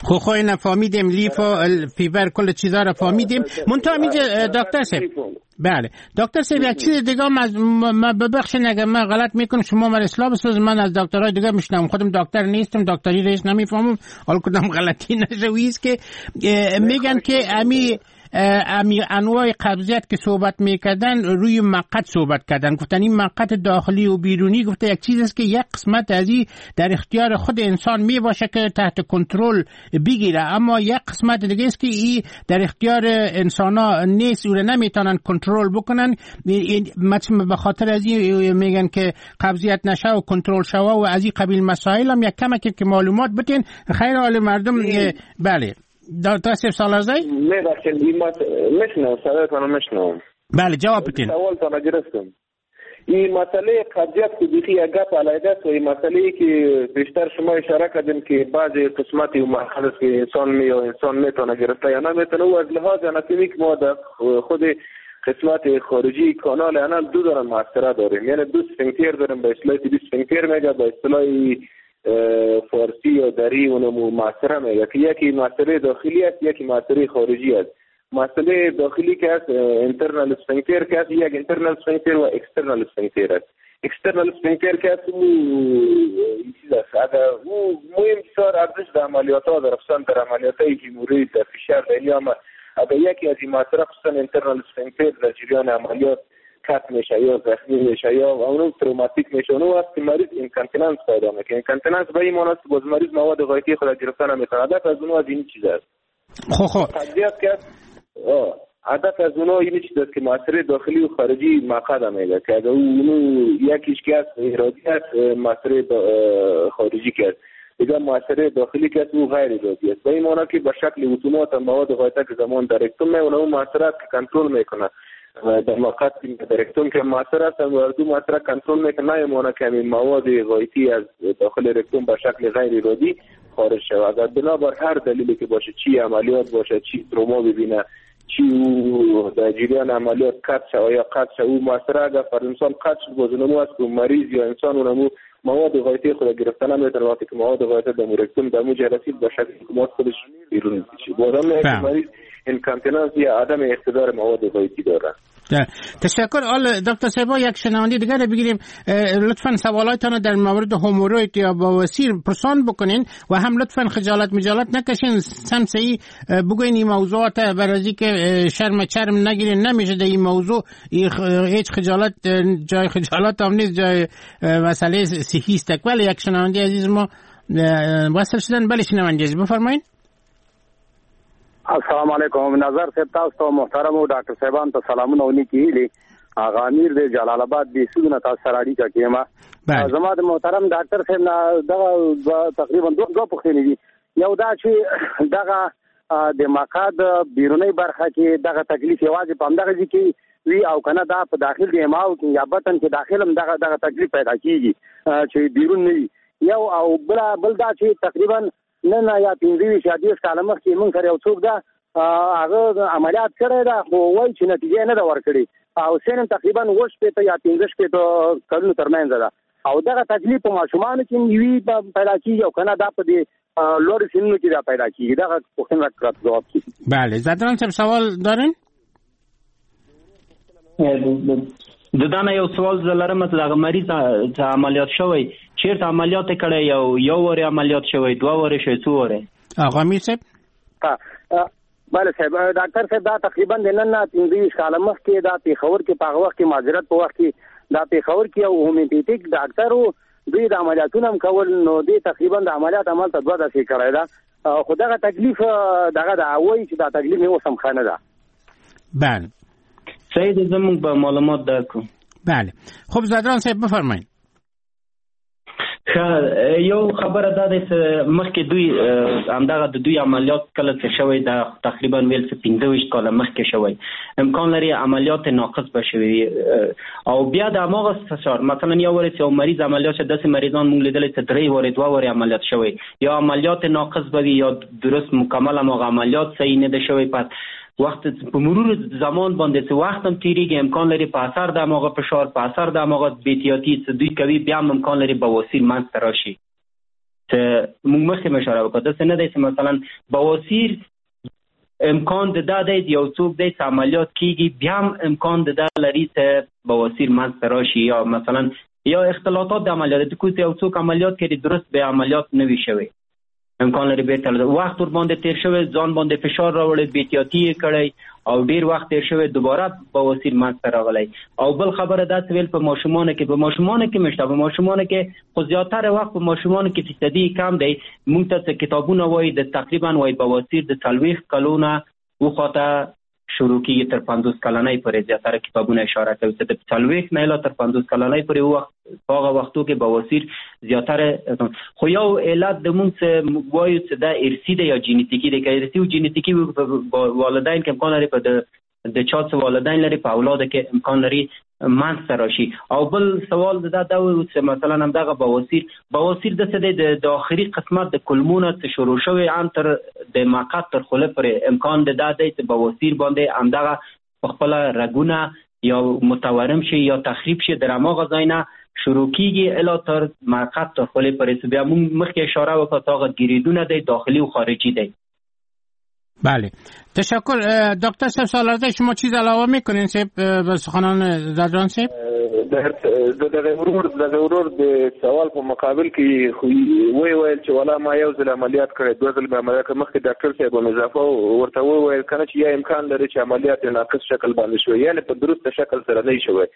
S2: خو خو اینا فهمیدیم لیف و فیبر کل چیزا را فهمیدیم. منتها اینجا دکتر صاحب بله دکتر صاحب یک چیز دیگه ما ببخشید اگر من غلط میکنم شما من اصلاح بساز. من از دکترای دیگه میشنم، خودم دکتر نیستم، دکتری رئیس نمیفهمم، حالا کدام غلطی نشه. که میگن که امی امی انواع قبضیت که صحبت میکردن روی مقعد صحبت کردن، گفتن این مقعد داخلی و بیرونی، گفته یک چیز است که یک قسمت از این در اختیار خود انسان می باشه که تحت کنترل بگیره، اما یک قسمت دیگه است که این در اختیار انسان ها نیست، او را نمیتونن کنترل بکنن. مثلا به خاطر از این میگن که قبضیت نشه و کنترل شوه و از این قبیل مسائل هم یک کمک که معلومات بتین خیر حال مردم. بله دکتر صاحب سالارزی
S3: میبخشید میشنم صدایتان میشنم.
S2: بله جواب بدین.
S3: سوال تا گرفتم. این مسئله قبضیت که بیخی یک گپ علیحده است و این مسئله که بیشتر شما اشاره کردیم که بعضی قسمتی و مرحله است که انسان می یا انسان میتونه گرفته یا نمیتونه، و از لحاظ اناتومیک ما در خود قسمت خارجی کانال انال دو داره محصره داریم، یعنی دو سفنکتر داریم، به اصطلاح طبی سفنکتر میگه، به اصطلاح فارسی یا دری اونمو معصره میگه که یکی معصره داخلی است یکی معصره خارجی است. مسئله داخلی که است internal sphincter که است، یک internal sphincter و external sphincter است. external sphincter که است او چیز است، اگر او مهم بسیار ارزش در عملیات ها در خصوصا در عملیات های هیموروید در فشار در اینا، اگر یکی از این معصره خصوصا internal sphincter در جریان عملیات cut میشه یا زخمی میشه یا اونو تروماتیک میشه، اونو وقت مریض incontinence پیدا میکنه. incontinence به این معنی است باز مریض مواد غایطی خود گرفتن نمیتونه. هدف از اونو از این چیز است.
S2: خب خب
S3: قضیه که هدف از اونو این چیز است که معصره داخلی و خارجی مقعد میگه که اگر اونو یکیش که است ارادی است، معصره خارجی که است دیگه معصره داخلی که است او غیر ارادی است. به این معنی که به شکل اتومات مواد غایطه که زمان در رکتوم میونه اون معصره کنترل میکنه و در موقع در رکتوم که معصره است و دو معصره کنترل میکنه، نه معنی که مواد غایطی از داخل رکتوم به شکل غیر ارادی خارج شود. اگر بنابر هر دلیلی که باشه، چی عملیات باشه، چی تروما ببینه، چې د جریان عملیات قطع شوه یا قطع شوه، او موثره اگر فرض مثال قطع شد باز اونمو است که مریض یا انسان اونمو مواد غایطی خود گرفتن نمیتونه، وقتی که مواد غایطه در رکتوم در مو رسید با شکل مواد خودش بیرون میشه. باز هم مریض incontinence یا عدم اقتدار مواد غایطی داره.
S2: تشکر. آل دکتر صاحب یک شنونده دیگر بگیریم. لطفا سوالاتتان در مورد هموروید یا بواسیر پرسان بکنین و هم لطفا خجالت مجالت نکشین، سمسعی بگوین این موضوعات برای که شرم چرم نگیرین، نمیشه در این موضوع هیچ خجالت، جای خجالت هم نیست، جای مسئله صحی است. ولی یک شنونده عزیز ما وصل شدن. بله شنونده عزیز بفرمایین.
S5: السلام علیکم. نظر صاحب تاسو ته محترم او ډاکټر صاحبان ته سلامونه او نیکې هیلې. هغه امیر دی جلال آباد بهسودو نه تاسو سره اړیکه کې یم. زما د محترم ډاکټر صاحب نه دغه تقریبا دوه دوه پوښتنې دي. یو دا چې دغه د مقعد بیرونۍ برخه کې دغه تکلیف یوازې په همدغه ځای کې وي او که نه دا په داخل د امعاو کې یا بطن کې داخل هم دغه دغه تکلیف پیدا کیږي چې بیرون نه وي. یو او بل بل دا چې تقریبا نن یا پنځه ویشت یا دېرش کاله مخکې موږ سره یو څوک ده هغه عملیات کړی ده خو وایي چې نتیجه یې نه ده ورکړې او سن هم تقریبا اووه شپېته یا پنځه شپېته کلونو ترمنځ ده او دغه تکلیف په ماشومانو کې وي پیدا کېږي او که نه دا په دې لوړو سنونو کې دا پیدا کېږي. دغه پوښتنه راکړه ځواب کړي.
S2: بله زدران صاحب سوال دارین؟
S4: د دانه یو سوال زه لرم چې دغه مریض چې عملیات شوی چیرته عملیات کړی، یو یو واره عملیات شوی، دوه واره شوی، څو واره؟
S2: آقا امیر صاحب.
S5: بله صاحب ډاکټر صاحب دا تقریبا د نن نه پنځه ویشت کاله مخکې دا پېښور کې په هغه وخت کې معذرت په وخت کې دا پېښور کې یو هومیوپیتیک ډاکټر و، دوی د عملیاتونه هم کول، نو دوی تقریبا د عملیات عمل ته دوه داسې کړی ده خو دغه تکلیف دغه د وایي چې دا تکلیف مې اوس هم ښه نه ده.
S2: بله
S4: سید زموږ به معلومات درکو.
S2: بله خب زدران صاحب بفرمایید.
S4: ښه یو خبره دا ده چې مخکې دوی همدغه د دوی عملیات کله چې شوی دا تقریبا ویل چې پنځه ویشت کاله مخکې شوی، امکان لري عملیات ناقص به شوی او بیا د هماغه فشار مثلا یو واره چې یو مریض عملیات شوی، داسې مریضان موږ لیدلی چې درې وارې دوه وارې عملیات شوی، یا عملیات ناقص به وي یا درست مکمل هماغه عملیات صحیح نه ده شوی. پس وخت په مرور زمان باندې چې وخت هم تیریږي امکان لري په اثر د هماغه فشار په اثر د هماغه بېاحتیاطي چې دوی کوي بیا هم امکان لري بواسیر منځ ته راشي. چې موږ مخکې اشاره وکړه داسې نه دی چې مثلا بواسیر امکان د دا دی یو څوک دی چې عملیات کیږي بیا هم امکان د دا لري چې بواسیر منځ ته راشي، یا مثلا یا اختلاطات د عملیات د کوم یو څوک عملیات کړي درست به عملیات نه وي شوی، امکان لري بیرته وخت ور باندې تیر شوی، ځان باندې فشار راوړی، بېاحتیاطي یې کړی او ډیر وخت تیر شوی دوباره بواسیر منځ ته راغلی. او بل خبره دا چې ویل په ماشومانو کې په ماشومانو کې مشته په ماشومانو کې خو زیاتره وخت په ماشومانو کې فیصدي کم دی. موږ ته څه کتابونه وایي د تقریبا وایي بواسیر د څلوېښت کلونه وخواته شروع کیږي تر پنځوس کلنۍ پورې زیاتره کتابونه اشاره کوي چې د څلوېښت نه الی تر پنځوس کلنۍ پورې وخت په هغه وختو کې بواسیر زیاتره. خو یو علت د مونږ څه وایو چې دا ارثي دی یا جینیتیکي دی، که ارثي او جینیتیکي والدین کې امکان لري په د د چا څه والدین لري په اولاد کې امکان لري منځ ته راشي. او بل سوال دا دا و چې مثلا همدغه بواسیر بواسیر داسې دی د آخري قسمت د کلمونه چې شروع شوی هم تر د مقعد تر خوله پورې امکان د دا دی چې بواسیر باندې همدغه په خپله رګونه یا متورم شي یا تخریب شي در هماغه ځای نه شروع کیږي الی تر مقعد تر خولې پورې. چې بیا موږ مخکې اشاره وکړه چې هغه ګریدونه دی داخلي او خارجي دی.
S2: بله تشکر. دکتر صاحب سالارزی شما چیز علاوه میکنین صاحب به سخنان زدران صاحب؟
S3: د دغه ورور دغه ورور د سوال په مقابل کې خو وی ویل چې ولا ما یو ځل عملیات کړی دوه ځل مې عملیات کړی، مخکې ډاکټر صاحب هم اضافه ورته وویل کنه چې یا امکان لري چې عملیات ناقص شکل باندې شوی، یعنې په درست شکل سره نه شوی.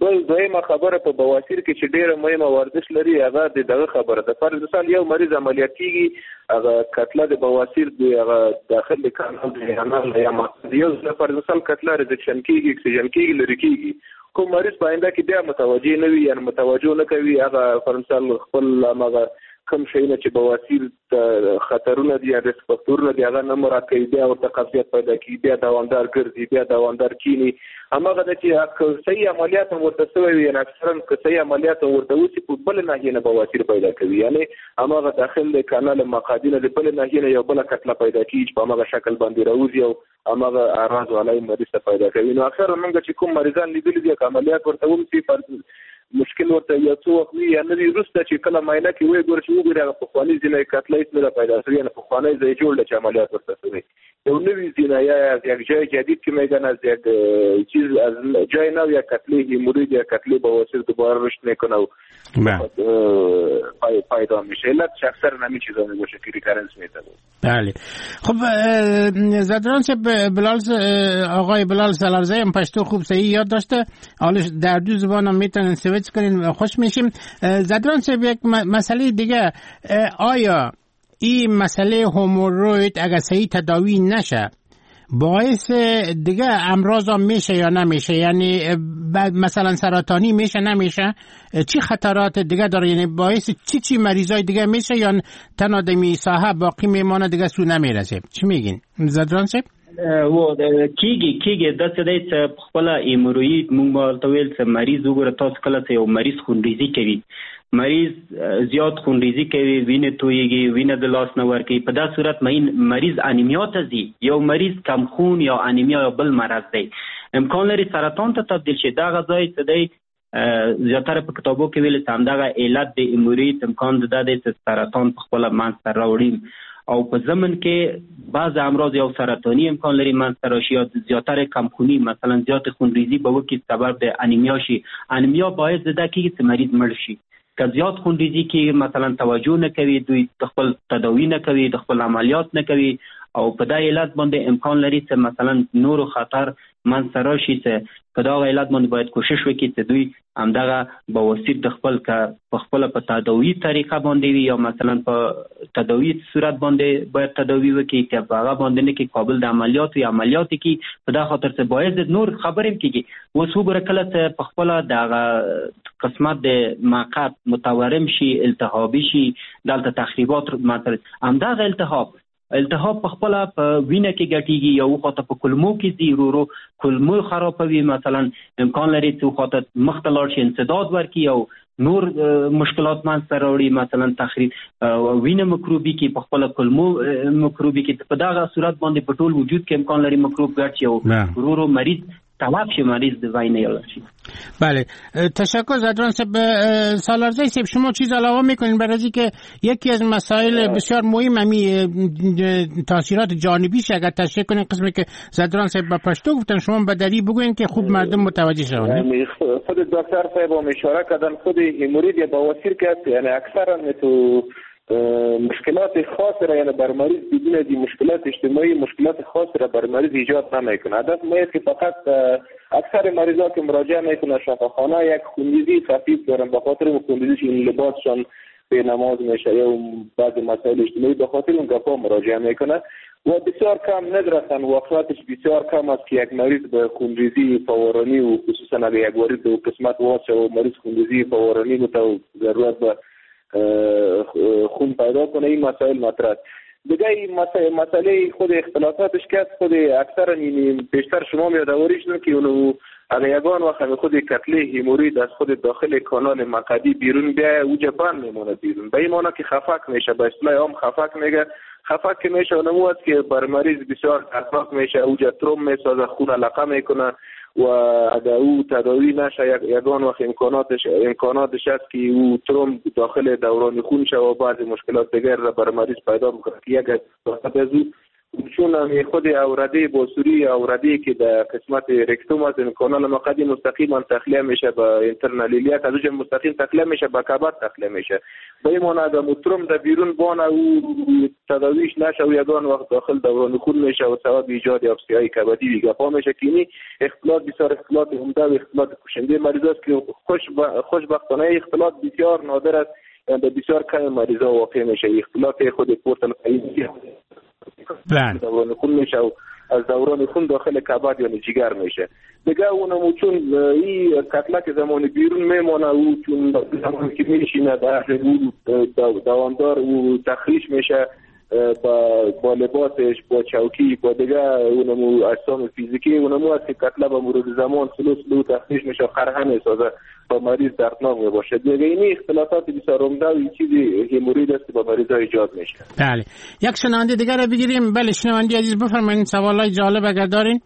S3: بل دویمه خبره په بواسیر کې چې ډېره مهمه ورزش لري هغه د دغه خبره ده. فرض مثال یو مریض عملیات کیږي هغه کتله د بواسیر د هغه داخل د کانال د انال یا یو ځل فرض مثال کتله resection کیږي اکسیجن کیږي لرې کیږي، کوم مریض په آینده کې بیا متوجه نه وي یعنې متوجه نه کوي، هغه فرض مثال خپل هماغه کوم شیونه چې بواسیر ته خطرونه دي یا ریسک فاکتورونه دي هغه نه مراعات کوي، بیا ورته قبضیت پیدا کیږي، بیا دوامدار ګرځي، بیا دوامدار کینی. هماغه ده چې که صحیح عملیات هم ورته سوی وي، یعنې اکثرا که صحیح عملیات هم ورته وسي په بله ناحیې نه بواسیر پیدا کوي، یعنې هماغه داخل د کانال مقعدي نه د بلې ناحیې نه یو بله کتله پیدا کیږي چې په هماغه شکل باندې راوځي او هماغه اعراض و علایم مریض ته پیدا کوي. نو اکثرا موږ چې کوم مریضان لیدلي دي که عملیات ورته وسي مشکل ورته یو څو وخت وي یا نه وي، وروسته چې کله معاینه کې وګوري چې وګوري هغه پخواني ځینې کتله هېڅ نه ده پیدا شوې، یعنې پخوانی ځای جوړ دی چې عملیات ورته شوی، یو نوی ځینه یا از یک جای جدید که میگن از یک چیز از جای نو یا کتله همورید یا کتله بواسیر دوباره رشد میکنه و پیدا میشه. علتش اکثر همین چیزا میباشه که recurrence میده.
S2: بله خب زدران صاحب بلال آقای بلال سالارزی هم پشتو خوب صحیح یاد داشته، حالا در دو زبان هم میتونن سویچ کنین، خوش میشیم. زدران صاحب یک مسئله دیگه، آیا این مسئله هموروید اگر صحیح تداوی نشه باعث دیگه امراض هم میشه یا نمیشه؟ یعنی مثلا سرطانی میشه نمیشه؟ چی خطرات دیگه داره؟ یعنی باعث چی چی مریضای دیگه میشه یا تنها دمی ساحه باقی میمانه دیگه سو نمیرسه؟ چی میگین زدران صاحب؟
S4: و کیږي کیږي داسې دی چې په خپله هموروید موږ ورته ویل چې مریض وګوره تاسو کله چې یو مریض خونریزي کوي، مریض زیات خونریزي کوي، وینه تویږي، وینه د لاس نه ورکوي، په دا صورت مریض انیمیا ته ځي. یو مریض کم خون یا انیمیا یا بل مرض دی، امکان لري سرطان ته تبدیل شي. دغه ځای څه دی زیاتره په کتابو کې ویل چې همدغه علت د هموروید امکان دا دی چې سرطان په خپله منځته راوړي، او په ضمن کې بعض امراض یو سرطانی امکان لري منځته راشي، یا زیاتره کمخونی مثلا زیات خونریزي به وکړي سبب د انیمیا شي. انیمیا باعث دا کیږي چې مریض مړ شي. که زیات خونریزي کې مثلا توجه نه کوي، دوی خپل تداوی نه کوي، د خپل عملیات نه کوي، او په دا علت باندې امکان لري چې مثلا نورو خطر منځته راشي. چې په دا علت باندې باید کوشش وکړي چې دوی همدغه بواسیر د خپل که په خپله په تداوی طریقه باندې وي یا مثلا په تداوی صورت باندې باید تداوی وکړي، که په هغه باندې نه کې قابل د عملیات وي عملیات کړي. په دا خاطر چې باید نور خبرې هم کېږي. اوس وګوره کله چې په خپله دغه قسمت د مقعد متورم شي، التهابي شي، دلته تخریبات مثلا همدغه التهاب التهاب په خپله په وینه کې ګټیږي، یو خواته په کولمو کې ځي، ورو ورو کولمو خرابوي، مثلا امکان لري چې خواته مخته لاړ شي، انسداد ورکړي او نور مشکلات منځته راوړي، مثلا تخریب وینه مکروبي کې په خپله کولمو مکروبي کې. په دغه صورت باندې په ټول وجود کې امکان لري مکروب ګډ شي او ورو ورو مریض تلف شه، مریض د وینې یې شي.
S2: بله تشکر زدران صاحب. سالارزی صاحب شما چیز علاوه میکنین برای که یکی از مسائل بسیار مهم همی تاثیرات جانبیش اگر تشریح کنین، قسمی که زدران صاحب به پشتو گفتن شما به دری بگوین که خوب مردم متوجه شوند.
S3: خود دکتر صاحب هم اشاره کردن خود همورید یا بواسیر که است، یعنی اکثرا تو مشکلات خاص را یعنی بر مریض بدون دی مشکلات اجتماعی مشکلات خاص را بر مریض ایجاد نمیکنه. هدف ما است که فقط اکثر مریضا که مراجعه میکنه شفاخانه یک خونریزی خفیف دارن، به خاطر اون خونریزیش این لباسشان به نماز میشه یا بعض مسائل اجتماعی به خاطر اون گپا مراجعه میکنه و بسیار کم ندرسن. واقعیتش بسیار کم است که یک مریض به خونریزی فورانی و خصوصا اگر یک وارد به قسمت واسه و مریض خونریزی فورانی متو ضرورت به خون پیدا کنه، این مسائل مطرح. دیگه این مسئله خود اختلافاتش که خود اکثرا یعنی بیشتر شما یادآوری شدن که اونو اگر یگان وقت خود کتله همورید از خود داخل کانال مقعدی بیرون بیایه او جبان میمونه بیرون، به این معنی که خفک میشه، به اصطلاح عام خفک میگه. خفک که میشه اونمو است که بر مریض بسیار دردناک میشه، او تروم میسازه، خون علقه میکنه و اگر او تداوی نشه یگان وقت امکاناتش امکاناتش است که او تروم داخل دوران خون شه و بعضی مشکلات دیگر را بر مریض پیدا میکنه که یک از او چون هم خود اورده باسوری اورده که در قسمت رکتوم است کانال مقعدی مستقیما تخلیه میشه به internal iliac، از اونجا مستقیم تخلیه میشه به کبد تخلیه میشه. به این معنی اگر تروم در بیرون بانه او تداویش نشه و یگان وقت داخل دوران خون میشه و سبب ایجاد آبسی‌های کبدی و گپا میشه که این اختلاط بسیار اختلاط عمده و اختلاط کشنده مریض است که خوش خوشبختانه اختلاط بسیار نادر است، یعنی بسیار کم مریضا واقع میشه. اختلاط خود portal
S2: بله
S3: خون میشه و از دوران خون داخل کبد یعنی جگر میشه. دیگه اونم چون این کتله که زمان بیرون میمانه او چون زمانی که میشینه در دوامدار او تخریش میشه با با لباسش، با چوکی، با دیگه اونمو اجسام فیزیکی اونمو است که کتله به مرور زمان سلو سلو تخریش میشه، قرحه میسازه با مریض دردناک میباشه. دیگه این اختلافات بسیار عمده و چیزی هموروید است که با مریض ها ایجاد میشه.
S2: بله، یک شنونده دیگر رو بگیریم. بله شنونده عزیز بفرمایید، سوالای جالب اگر دارین.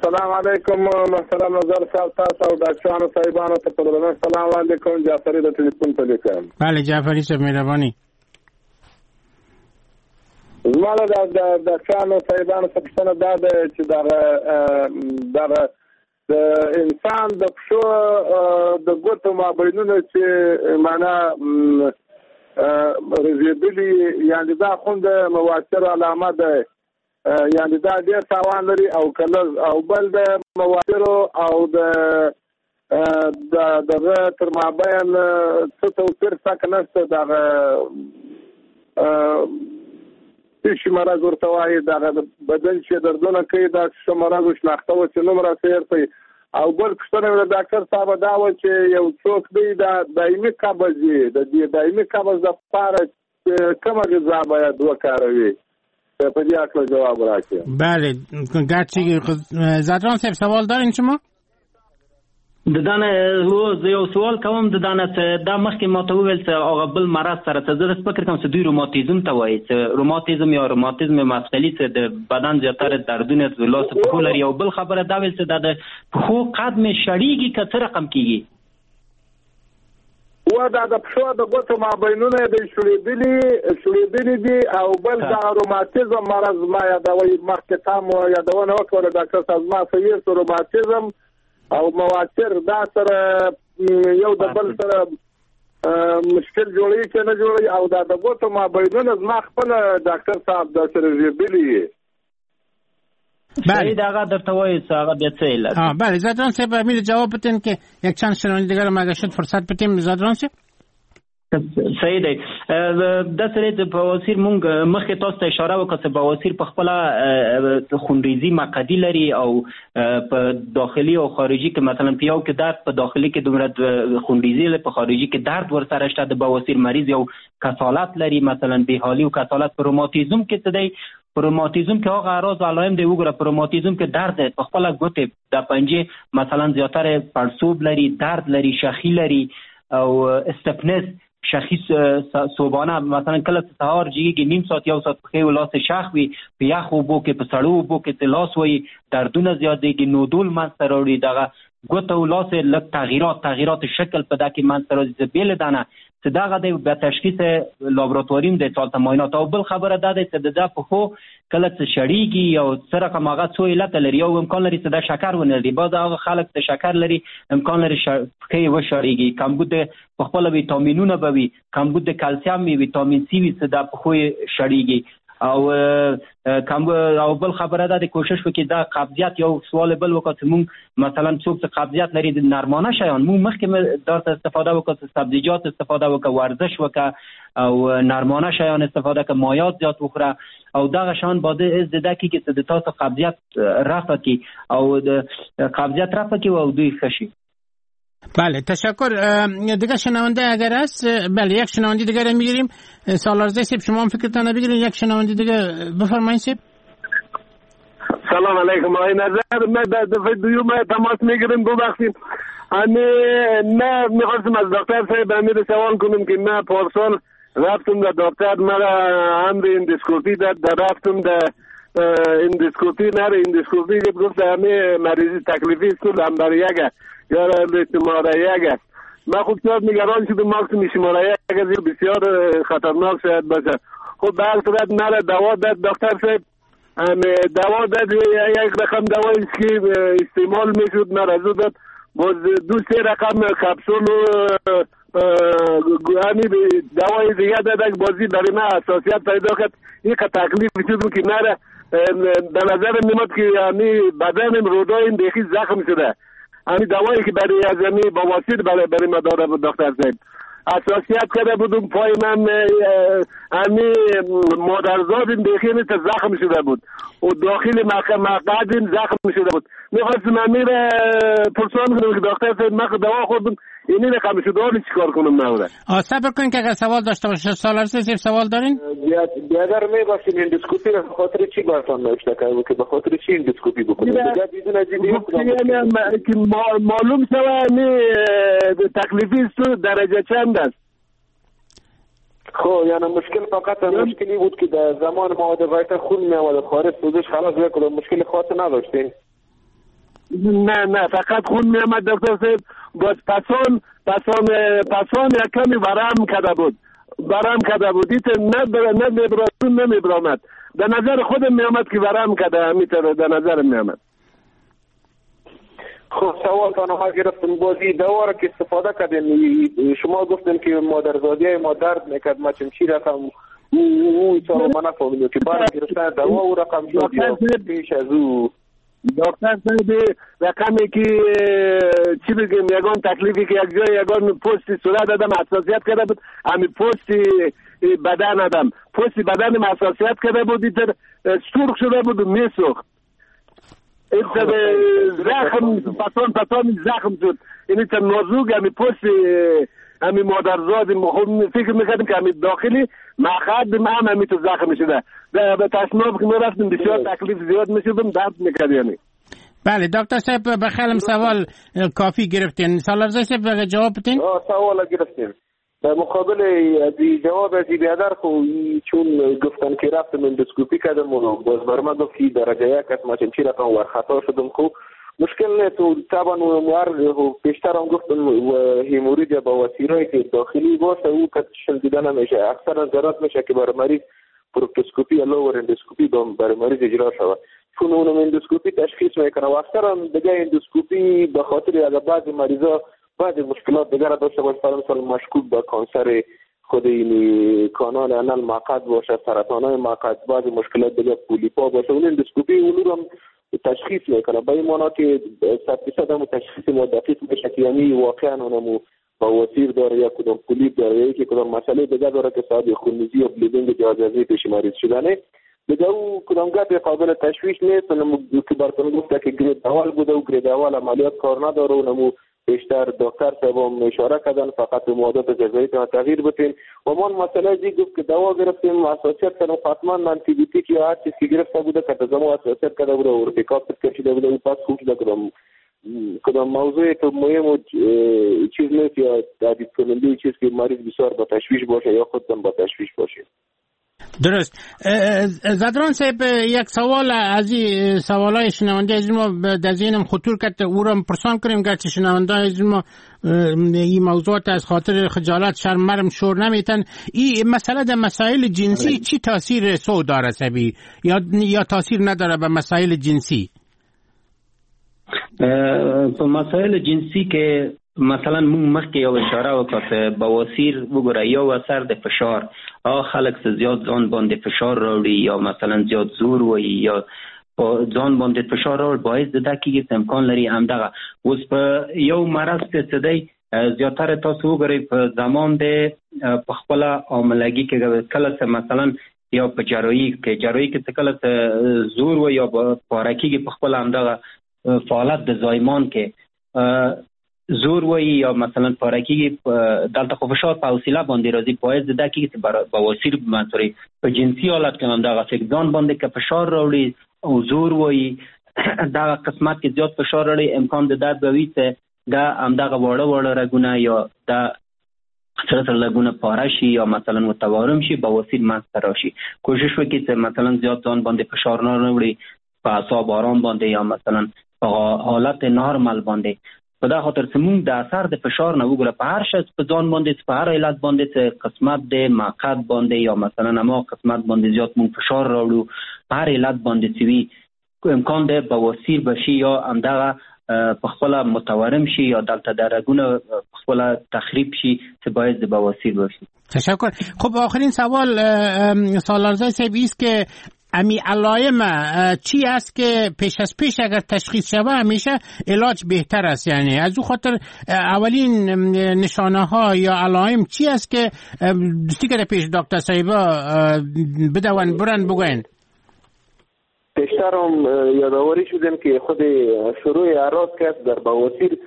S5: سلام علیکم محترم نظر صاحب، تاسو او ډاکټرانو صاحبانو ته په درنښت سلام وړاندې کوم. جعفري د ټلیفون په لیکم.
S2: بله جعفري صاحب مهرباني.
S5: زما له ډاکټرانو صاحبانو څخه پوښتنه دا ده چې دغه دغه د انسان د پښو د ګوتو مابینونه چې معنا رژېدلي، یعنې دا خو د مواسر علامه ده، یعنې دا ډېر تاوان لري او که لږ، او بل د مواسرو او د دغه تر مابین څه توپیر شته که نشته؟ دغه څه شي مرض ورته وایي، دغه بدن چې دردونه کوي دا څه مرض شناخته و چې نوم راته هېر کړئ. او بل پوښتنه مې له ډاکټر صاحبه دا وه چې یو څوک دی دا دایمي قبض وي، د دې دایمي قبض دپاره کومه غذا باید وکاروي؟ په دې هکله جواب راکړئ.
S2: بله گرچه زدران صاحب سوال دارین شما؟
S4: د دانه زه یو سوال کوم. د دانه دا مخکې ما ته وویل چې هغه بل مرض سره څه، زه داسې فکر کوم چې دوی روماتیزم ته وایي، چې روماتیزم یا روماتیزم مفصلي چې د بدن زیاتره دردونه د لاس پښو لري. او بل خبره دا ویل چې دا د پښو قد مې شړېږي که څه رقم کېږي؟
S5: و دا د پښو د ګوتو مابینونه یې شړېدلي شړېدلي دي. او بل دا روماتیزم مرض ما یادوي، مخکې تا مو یادونه وکړه ډاکټر صاحب، ما صحیح روماتیزم او مواسر دا سره یو د بل سره مشکل جوړوي که نه جوړوي؟ او دا د ګوتو مابینونه زما خپله ډاکټر صاحب دا سره رژېدلي.
S4: بله هغه درته وایي چې هغه بیا څه علت.
S2: بله زدران صاحب امیر جواب بدین که یک چند شنونده دیگر هم اگر شد فرصت بدیم. زدران صاحب
S4: صحیح دی. دا سره د بواسیر مونږ مخکې تاسو ته اشاره وکړه چې بواسیر په خپله خونریزي مقعدي لري او په داخلي او خارجي کې مثلا په یو کې درد، په داخلي کې دومره خونریزي لري، په خارجي کې درد ورسره شته. د بواسیر مریض یو کسالت لري، مثلا بیحالي او کسالت. په روماتیزم کې څه دی؟ په روماتیزم کې هغه اعراض علائم دی وګوره. په روماتیزم کې درد دی، په خپله ګوتې د پنجې مثلا زیاتره پړسوب لري، درد لري، شخي لري او استفنس شخي صبحانه مثلا کله چې سهار جګیږي نیم ساعت یو ساعت پښې او لاس شخ وي، په یخ اوبو کې په سړو اوبو کې چې لاس وایي دردونه زیاتېږي، نودول منځته راوړي، دغه ګوته او لاس یې لږ تغییرات تغییرات شکل په دا کې منځته راځي. بې له دانه چې دغه دی بیا تشخیص لابراتواري هم دی څه هلته معاینات. او بل خبره دا دی چې د ده پښو کله چې شړېږي او څه رقم هغه څو علته لري، یو امکان لري چې دا شکر ونه لري، بعض هغه خلک چې شکر لري امکان لري پښې یې وشړېږي، کمبود په خپله ویټامینونه به وي، کمبود د کلسیم وي، ویټامین سي وي چې دا پښو یې شړېږي. او کم او بل خبره ده د کوشش وکړي دا قبضیت. یو سوال بل وکړه چې مونږ مثلا څوک چې قبضیت لري د نرمانه شیان مونږ مخکې درته استفاده وکړه، چې سبزیجات استفاده وکړه، ورزش وکړه او نرمانه شیان استفاده کړه، مایعات زیات وخوره او دغه شان باید از د کېږي چې د تاسو قبضیت رفع کړي او د قبضیت رفع کړي او دوی ښه شي.
S2: بله تشکر. دیگه شنونده اگر است، بله یک شنونده دیگه رو میگیریم. سالارزه صاحب شما هم فکرتان بگیرین. یک شنونده دیگه بفرمایید صاحب.
S5: سلام علیکم آقای نظر، من در دفعه دوم تماس میگیریم، ببخشید. امی نه میخواستم از دکتر صاحب امیر سوال کنم که من پارسال رفتم در دکتر مرا امر اندوسکوپی داد، در رفتم در اندوسکوپی نره اندوسکوپی گفت همه مریضی تکلیفی است لمبر یک یا شماره یک است. من خوب زیاد نگران شدم، ماکسیم شماره یک است بسیار خطرناک شاید باشه. خب به هر صورت مرا دوا داد دکتر صاحب، دوا داد، یک رقم دوایی که استعمال میشد مرا داد، باز دو سه رقم کپسول همین دوای دیگه داد، بازی برای من حساسیت پیدا کرد. یک تکلیف شد که مرا به نظر میاد که همین بدنم رودایم بیخی زخم شده. همین دوایی که برای از همین بواسیر برای برای ما داره بود دکتر صاحب، حساسیت کرده بودم، پای من امی مادرزادم بیخی زخم شده بود و داخل مقعدم زخم شده بود. میخواستم امی را پرسان کنم که دکتر صاحب من دوا خوردم اینی رقم شده، حالی چیکار کنم؟ نوره
S2: صبر کنین که اگر سوال داشته باشه. سالارزی صاحب سوال دارین؟
S3: بیادر میباشیم اندوسکوپی را به خاطر چی براتان نوشته کرده که به خاطر چی اندوسکوپی بکنیم؟ دیگه بدون از این
S5: که معلوم شوه تکلیفی است درجه چند است.
S3: خب یعنی مشکل فقط مشکلی بود که در زمان مواد غایطه خون می آمد خارج سوزش خلاص یک مشکل خاص نداشتین؟
S5: نه نه فقط خون می آمد دکتر صاحب. باز پسان پسان پسان یک کمی ورم کرده بود، ورم کرده بود، نه نه میبراد نه میبرامد. در نظر خودم می آمد که ورم کرده، همینطور در نظر می آمد.
S3: خب سوال تان گرفتم. بازی دوا را که استفاده کردیم شما گفتن که مادرزادی ما درد میکرد، ما چی رقم او او او ما نفهمیدیم که بعد گرفتن دوا او رقم شد یا پیش از او؟
S5: دکتر صاحب رقمی که چی بگیم یگان تکلیفی که یک جای یگان پوست صورت دادم حساسیت کرده بود، همین پوست بدن دادم، پوست بدن حساسیت کرده بود، ایتر سرخ شده بود و میسوخت. ایتر زخم پسان پسان زخم شد، این ایتر نازوگ همین پوست همین مادرزاد خود فکر میکردیم که همین داخلی مقعد هم همین تو زخم شده. به تشناب که میرفتیم بسیار تکلیف زیاد میشدم، درد میکرد. یعنی
S2: بله دکتر صاحب به خیالم سوال کافی گرفتین. سالارزی صاحب جواب بدین؟
S3: سوال گرفتیم. در مقابل از جواب از بیادر خو چون گفتن که رفتم اندوسکوپی کردم و باز بر من گفت که درجه یک است، ما چی رقم ور خطا شدم. خو مشکل نیست و طبعا پیشتر هم گفتم هموروید یا بواسیرایی که داخلی باشه او کتشل دیده نمیشه، اکثرا ضرورت میشه که برای مریض پروکتوسکوپی یا lower endoscopy برای مریض اجرا شود، چون اونم اندوسکوپی تشخیص میکنه و اکثرا دیگه اندوسکوپی به خاطر اگر بعضی مریضا بعضی مشکلات دیگر داشته باشه، مثلا مشکوک به کانسر خود این کانال anal مقعد باشه، سرطان های مقعد، بعضی مشکلات دیگه پولیپا باشه، اون اندوسکوپی اون رو تشخیص میکنه. به این معنا که صد درصد هم تشخیص ما دقیق میشه که یعنی واقعا اونمو بواسیر داره یا کدام پولیپ داره یا یکی کدام مسئله دیگه داره که سبب خونریزی یا bleeding جهاز پیش مریض شدنه. دیگه او کدام گپ قابل تشویش نیست. اونمو که براتون گفته که grade اول بوده و grade اول عملیات کار نداره، اونمو بیشتر دکتر صاحب اشاره کردن فقط به معادات غذایی تغییر بدین و ما مسئله دی گفت که دوا گرفتیم حساسیت کردم، حتما آنتی بیوتیک یا هر چیز که گرفته بوده که زمان حساسیت کرده بوده و ارتکاب کشیده بوده و پس خوب شده. کدام کدام موضوع تو مهم و چیز نیست یا تهدید کننده چیز که مریض بسیار با تشویش باشه یا خودم با تشویش باشه.
S2: درست. زدران صاحب یک سوال از این سوالای شنونده از ما در ذهنم خطور کرد او را پرسان کنیم، گرچه شنونده از ما این موضوعات از خاطر خجالت شرم مرم شور نمیتن. این مسئله در مسائل جنسی چی تاثیر سو داره سبی یا یا تاثیر نداره به مسائل جنسی؟
S4: په مسائل جنسی کې مثلا موږ مخکې یو اشاره وکړه چې بواسیر وګوره یو اثر د فشار، هغه خلک چې زیات ځان باندې فشار راوړي یا مثلا زیات زور وایي یا په ځان باندې فشار راوړي باعث د دا کېږي چې امکان لري همدغه اوس په یو مرض کې څه دی زیاتره تاسو وګورئ په زمان د په خپله حاملګي کې کله چې مثلا یا په جراحي کې جراحي کې چې کله چې زور وایي یا پاره کېږي په خپله همدغه فعالیت د زایمان کې زور وایي یا مثلا پاره کېږي، دلته خو فشار په حوصله باندې راځي، باعث د دا کېږي چې بواسیر منصوري په جنسي حالت کې هم دغه ځان باندې که فشار راوړي او زور وایي دغه قسمت کې زیات فشار راوړي امکان د درد به وي چې دا همدغه واړه واړه رګونه یا دا سره سره رګونه پاره شي یا مثلا متورم شي بواسیر منځته راشي. کوشش وکړي چې مثلا زیات ځان باندې فشار نه راوړي په اعصاب آرام باندې یا مثلا په حالت نارمل باندې. په دا خاطر چې موږ د اثر د فشار نه وګوره په هر شخص په ځان باندې په هر علت باندې چې قسمت د مقعد باندې یا مثلا ما قسمت باندې زیات موږ فشار راوړو په هر علت باندې چې وي امکان د بواسیر بشي یا همدغه په خپله متورم شي یا دلته د رګونه په خپله تخریب شي چې باعث د بواسیر بشي.
S2: تشکر. خب آخرین سوال سالارزای صاحب است که امی علائم چی است که پیش از پیش اگر تشخیص شوه همیشه علاج بهتر است؟ یعنی از او خاطر اولین نشانه ها یا علائم چی است که دوستی که پیش دکتر صاحبا بدون برن بگوین؟
S3: پیشتر هم یادآوری شدیم که خود شروع اعراض که در بواسیر،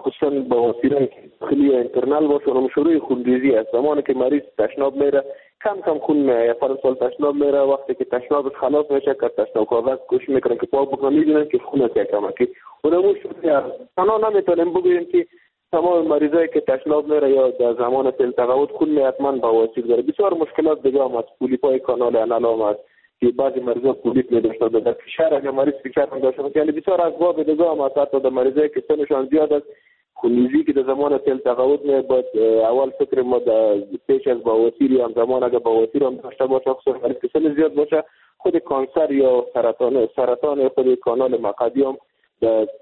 S3: خصوصا بواسیران داخلی یا internal باشه، اونم شروع خونریزی است. زمانی که مریض تشناب میره کم کم خون میاد، فرض سال تشناب میره، وقتی که تشنابش خلاص میشه که تشناب کاغذ کوشش میکنن که پاک بکنن، میبینن که خون است کم که اونم شروع اعراض. تنها نمیتونیم بگوییم که تمام مریضایی که تشناب میره یا در زمان سیل تغاوت خون میاد حتما بواسیر داره. بسیار مشکلات دیگه هم هست، پولیپای کانال anal هم هست که بعضی مریضا پولیپ نداشته باشند، در فشار اگر مریض فشار هم داشته باشه، یعنی بسیار اسباب دیگه هم هست. حتی در مریضایی که سنشان زیاد است، خونریزی که در زمان سیل تغاوت میاد، باید اول فکر ما در پیش از بواسیر یا هم زمان اگر بواسیر هم داشته باشه، خصوصا مریض که سن زیاد باشه، خود کانسر یا سرطان سرطان خود کانال مقعدی هم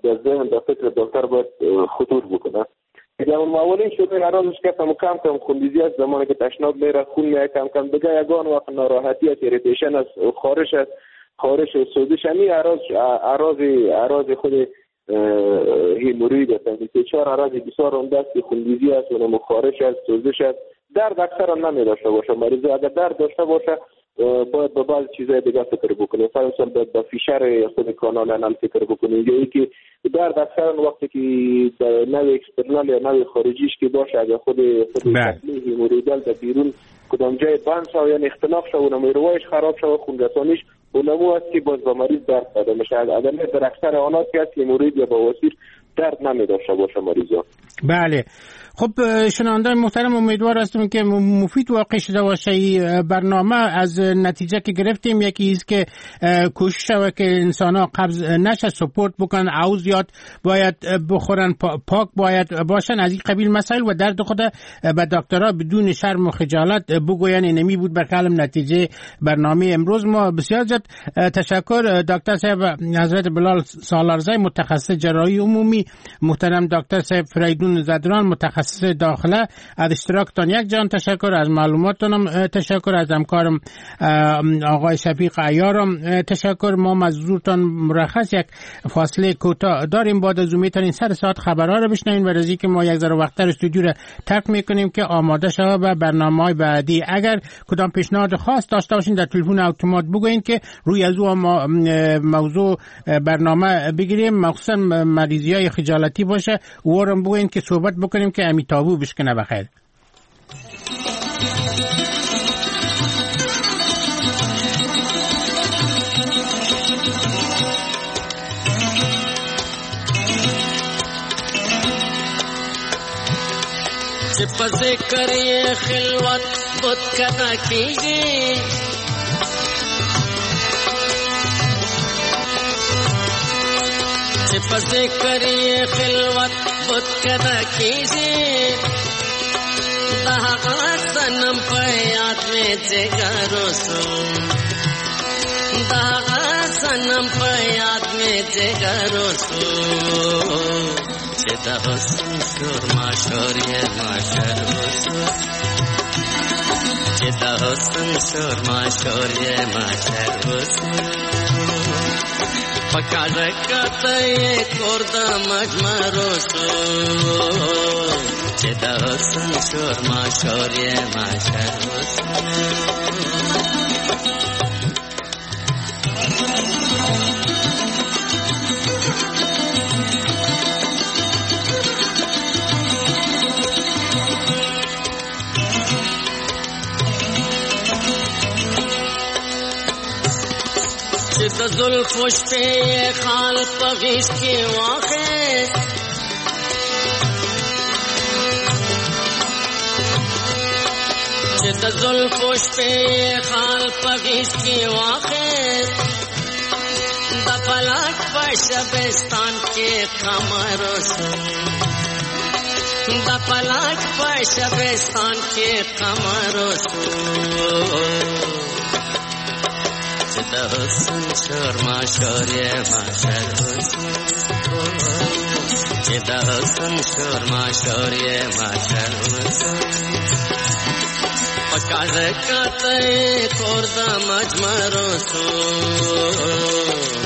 S3: در ذهن در فکر دکتر باید خطور بکنه. دیگه اون اولین شروع اعراضش که کم کم کم خونریزی است، زمانی که تشناب میره خون میاد کم کم، دیگه یگان وقت ناراحتی است، irritation است، خارش است، خارش و سوزش، همین اعراض اعراض اعراض خود هموروید است. یعنی چهار اعراض بسیار عمده است که خونریزی است، اونم خارش است، سوزش است. درد اکثرا نمی داشته باشه مریض، اگر درد داشته باشه باید به بعض چیزهای دیگه فکر بکنه، فرض باید به فشار خود کانال anal فکر بکنه، یا اینکه درد اکثرا وقتی که در نوع external یا نوع خارجیش که باشه، اگر خود خود hemorrhoidal در بیرون کدام جای بند شو یعنی اختناق شو و نمیروایش خراب شو، خون رسانیش اونمو است که باز به مریض درد پیدا میشه. اگر در اکثر آنات که است هموروید یا بواسیر درد نمی داشته باشه مریضا.
S2: بله خب شنوندگان محترم، امیدوار هستم که مفید واقع شده باشه این برنامه. از نتیجه که گرفتیم یکی است که کوشش شود که انسان ها قبض نشه، سپورت بکنن، او زیاد باید بخورن، پاک باید باشن، از این قبیل مسائل، و درد خود به دکترها بدون شرم و خجالت بگوین. اینمی بود بر کلم نتیجه برنامه امروز ما. بسیار زیاد تشکر دکتر صاحب حضرت بلال سالارزی، متخصص جراحی عمومی، محترم دکتر صاحب فریدون زدران، متخصص داخله، از اشتراکتان یک جان تشکر، از معلوماتتونم تشکر، از همکارم آقای شفیق عیارم تشکر. ما از حضورتان مرخص یک فاصله کوتاه داریم، بعد از اون میتونین سر ساعت خبرها رو بشنوین و از اینکه ما یک ذره وقت‌تر استودیو رو ترک میکنیم که آماده شود به برنامه‌های بعدی. اگر کدام پیشنهاد خاص داشته باشین در تلفن اتومات بگوین که روی از او موضوع برنامه بگیریم، مخصوصا مریضی‌های خجالتی باشه، اورم بگوین که صحبت بکنیم که امی تابو بشکنه. بخیر.
S8: چې په ذکر یې خلوت بت کنا کیږي، چې په ذکر یې خلوت بت کنا کیږي، د هغه صنم په یاد مې جګر وسو، د هغه صنم په یاد مې جګر وسو، چې د حسن شور ماشور یې ماشر وسو، چې د حسن شور ماشور یې ماشر وسو، پکاره کته یې کور د مجمر وسو، چې د حسن شور ماشور یې ماشر وسو. د زلفو شپې خال په غېږ کې واخیست، چې د زلفو شپې خال په غېږ کې واخیست، د فلک په شبستان کې قمر وسو، د فلک په شبستان کې قمر وسو، چې د حسن شور ماشور یې ماشر وسو، چې د حسن شور ماشور یې محشر وسو. په کاږه کاته یې کور د مجمرو سو،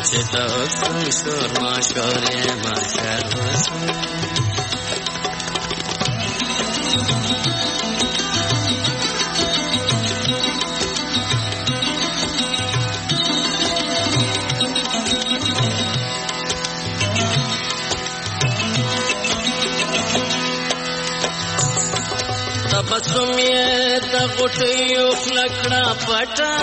S8: چې د حسن شور ماشور یې محشر وسو. تبسم یې د غوټیو خوله کړه پټه،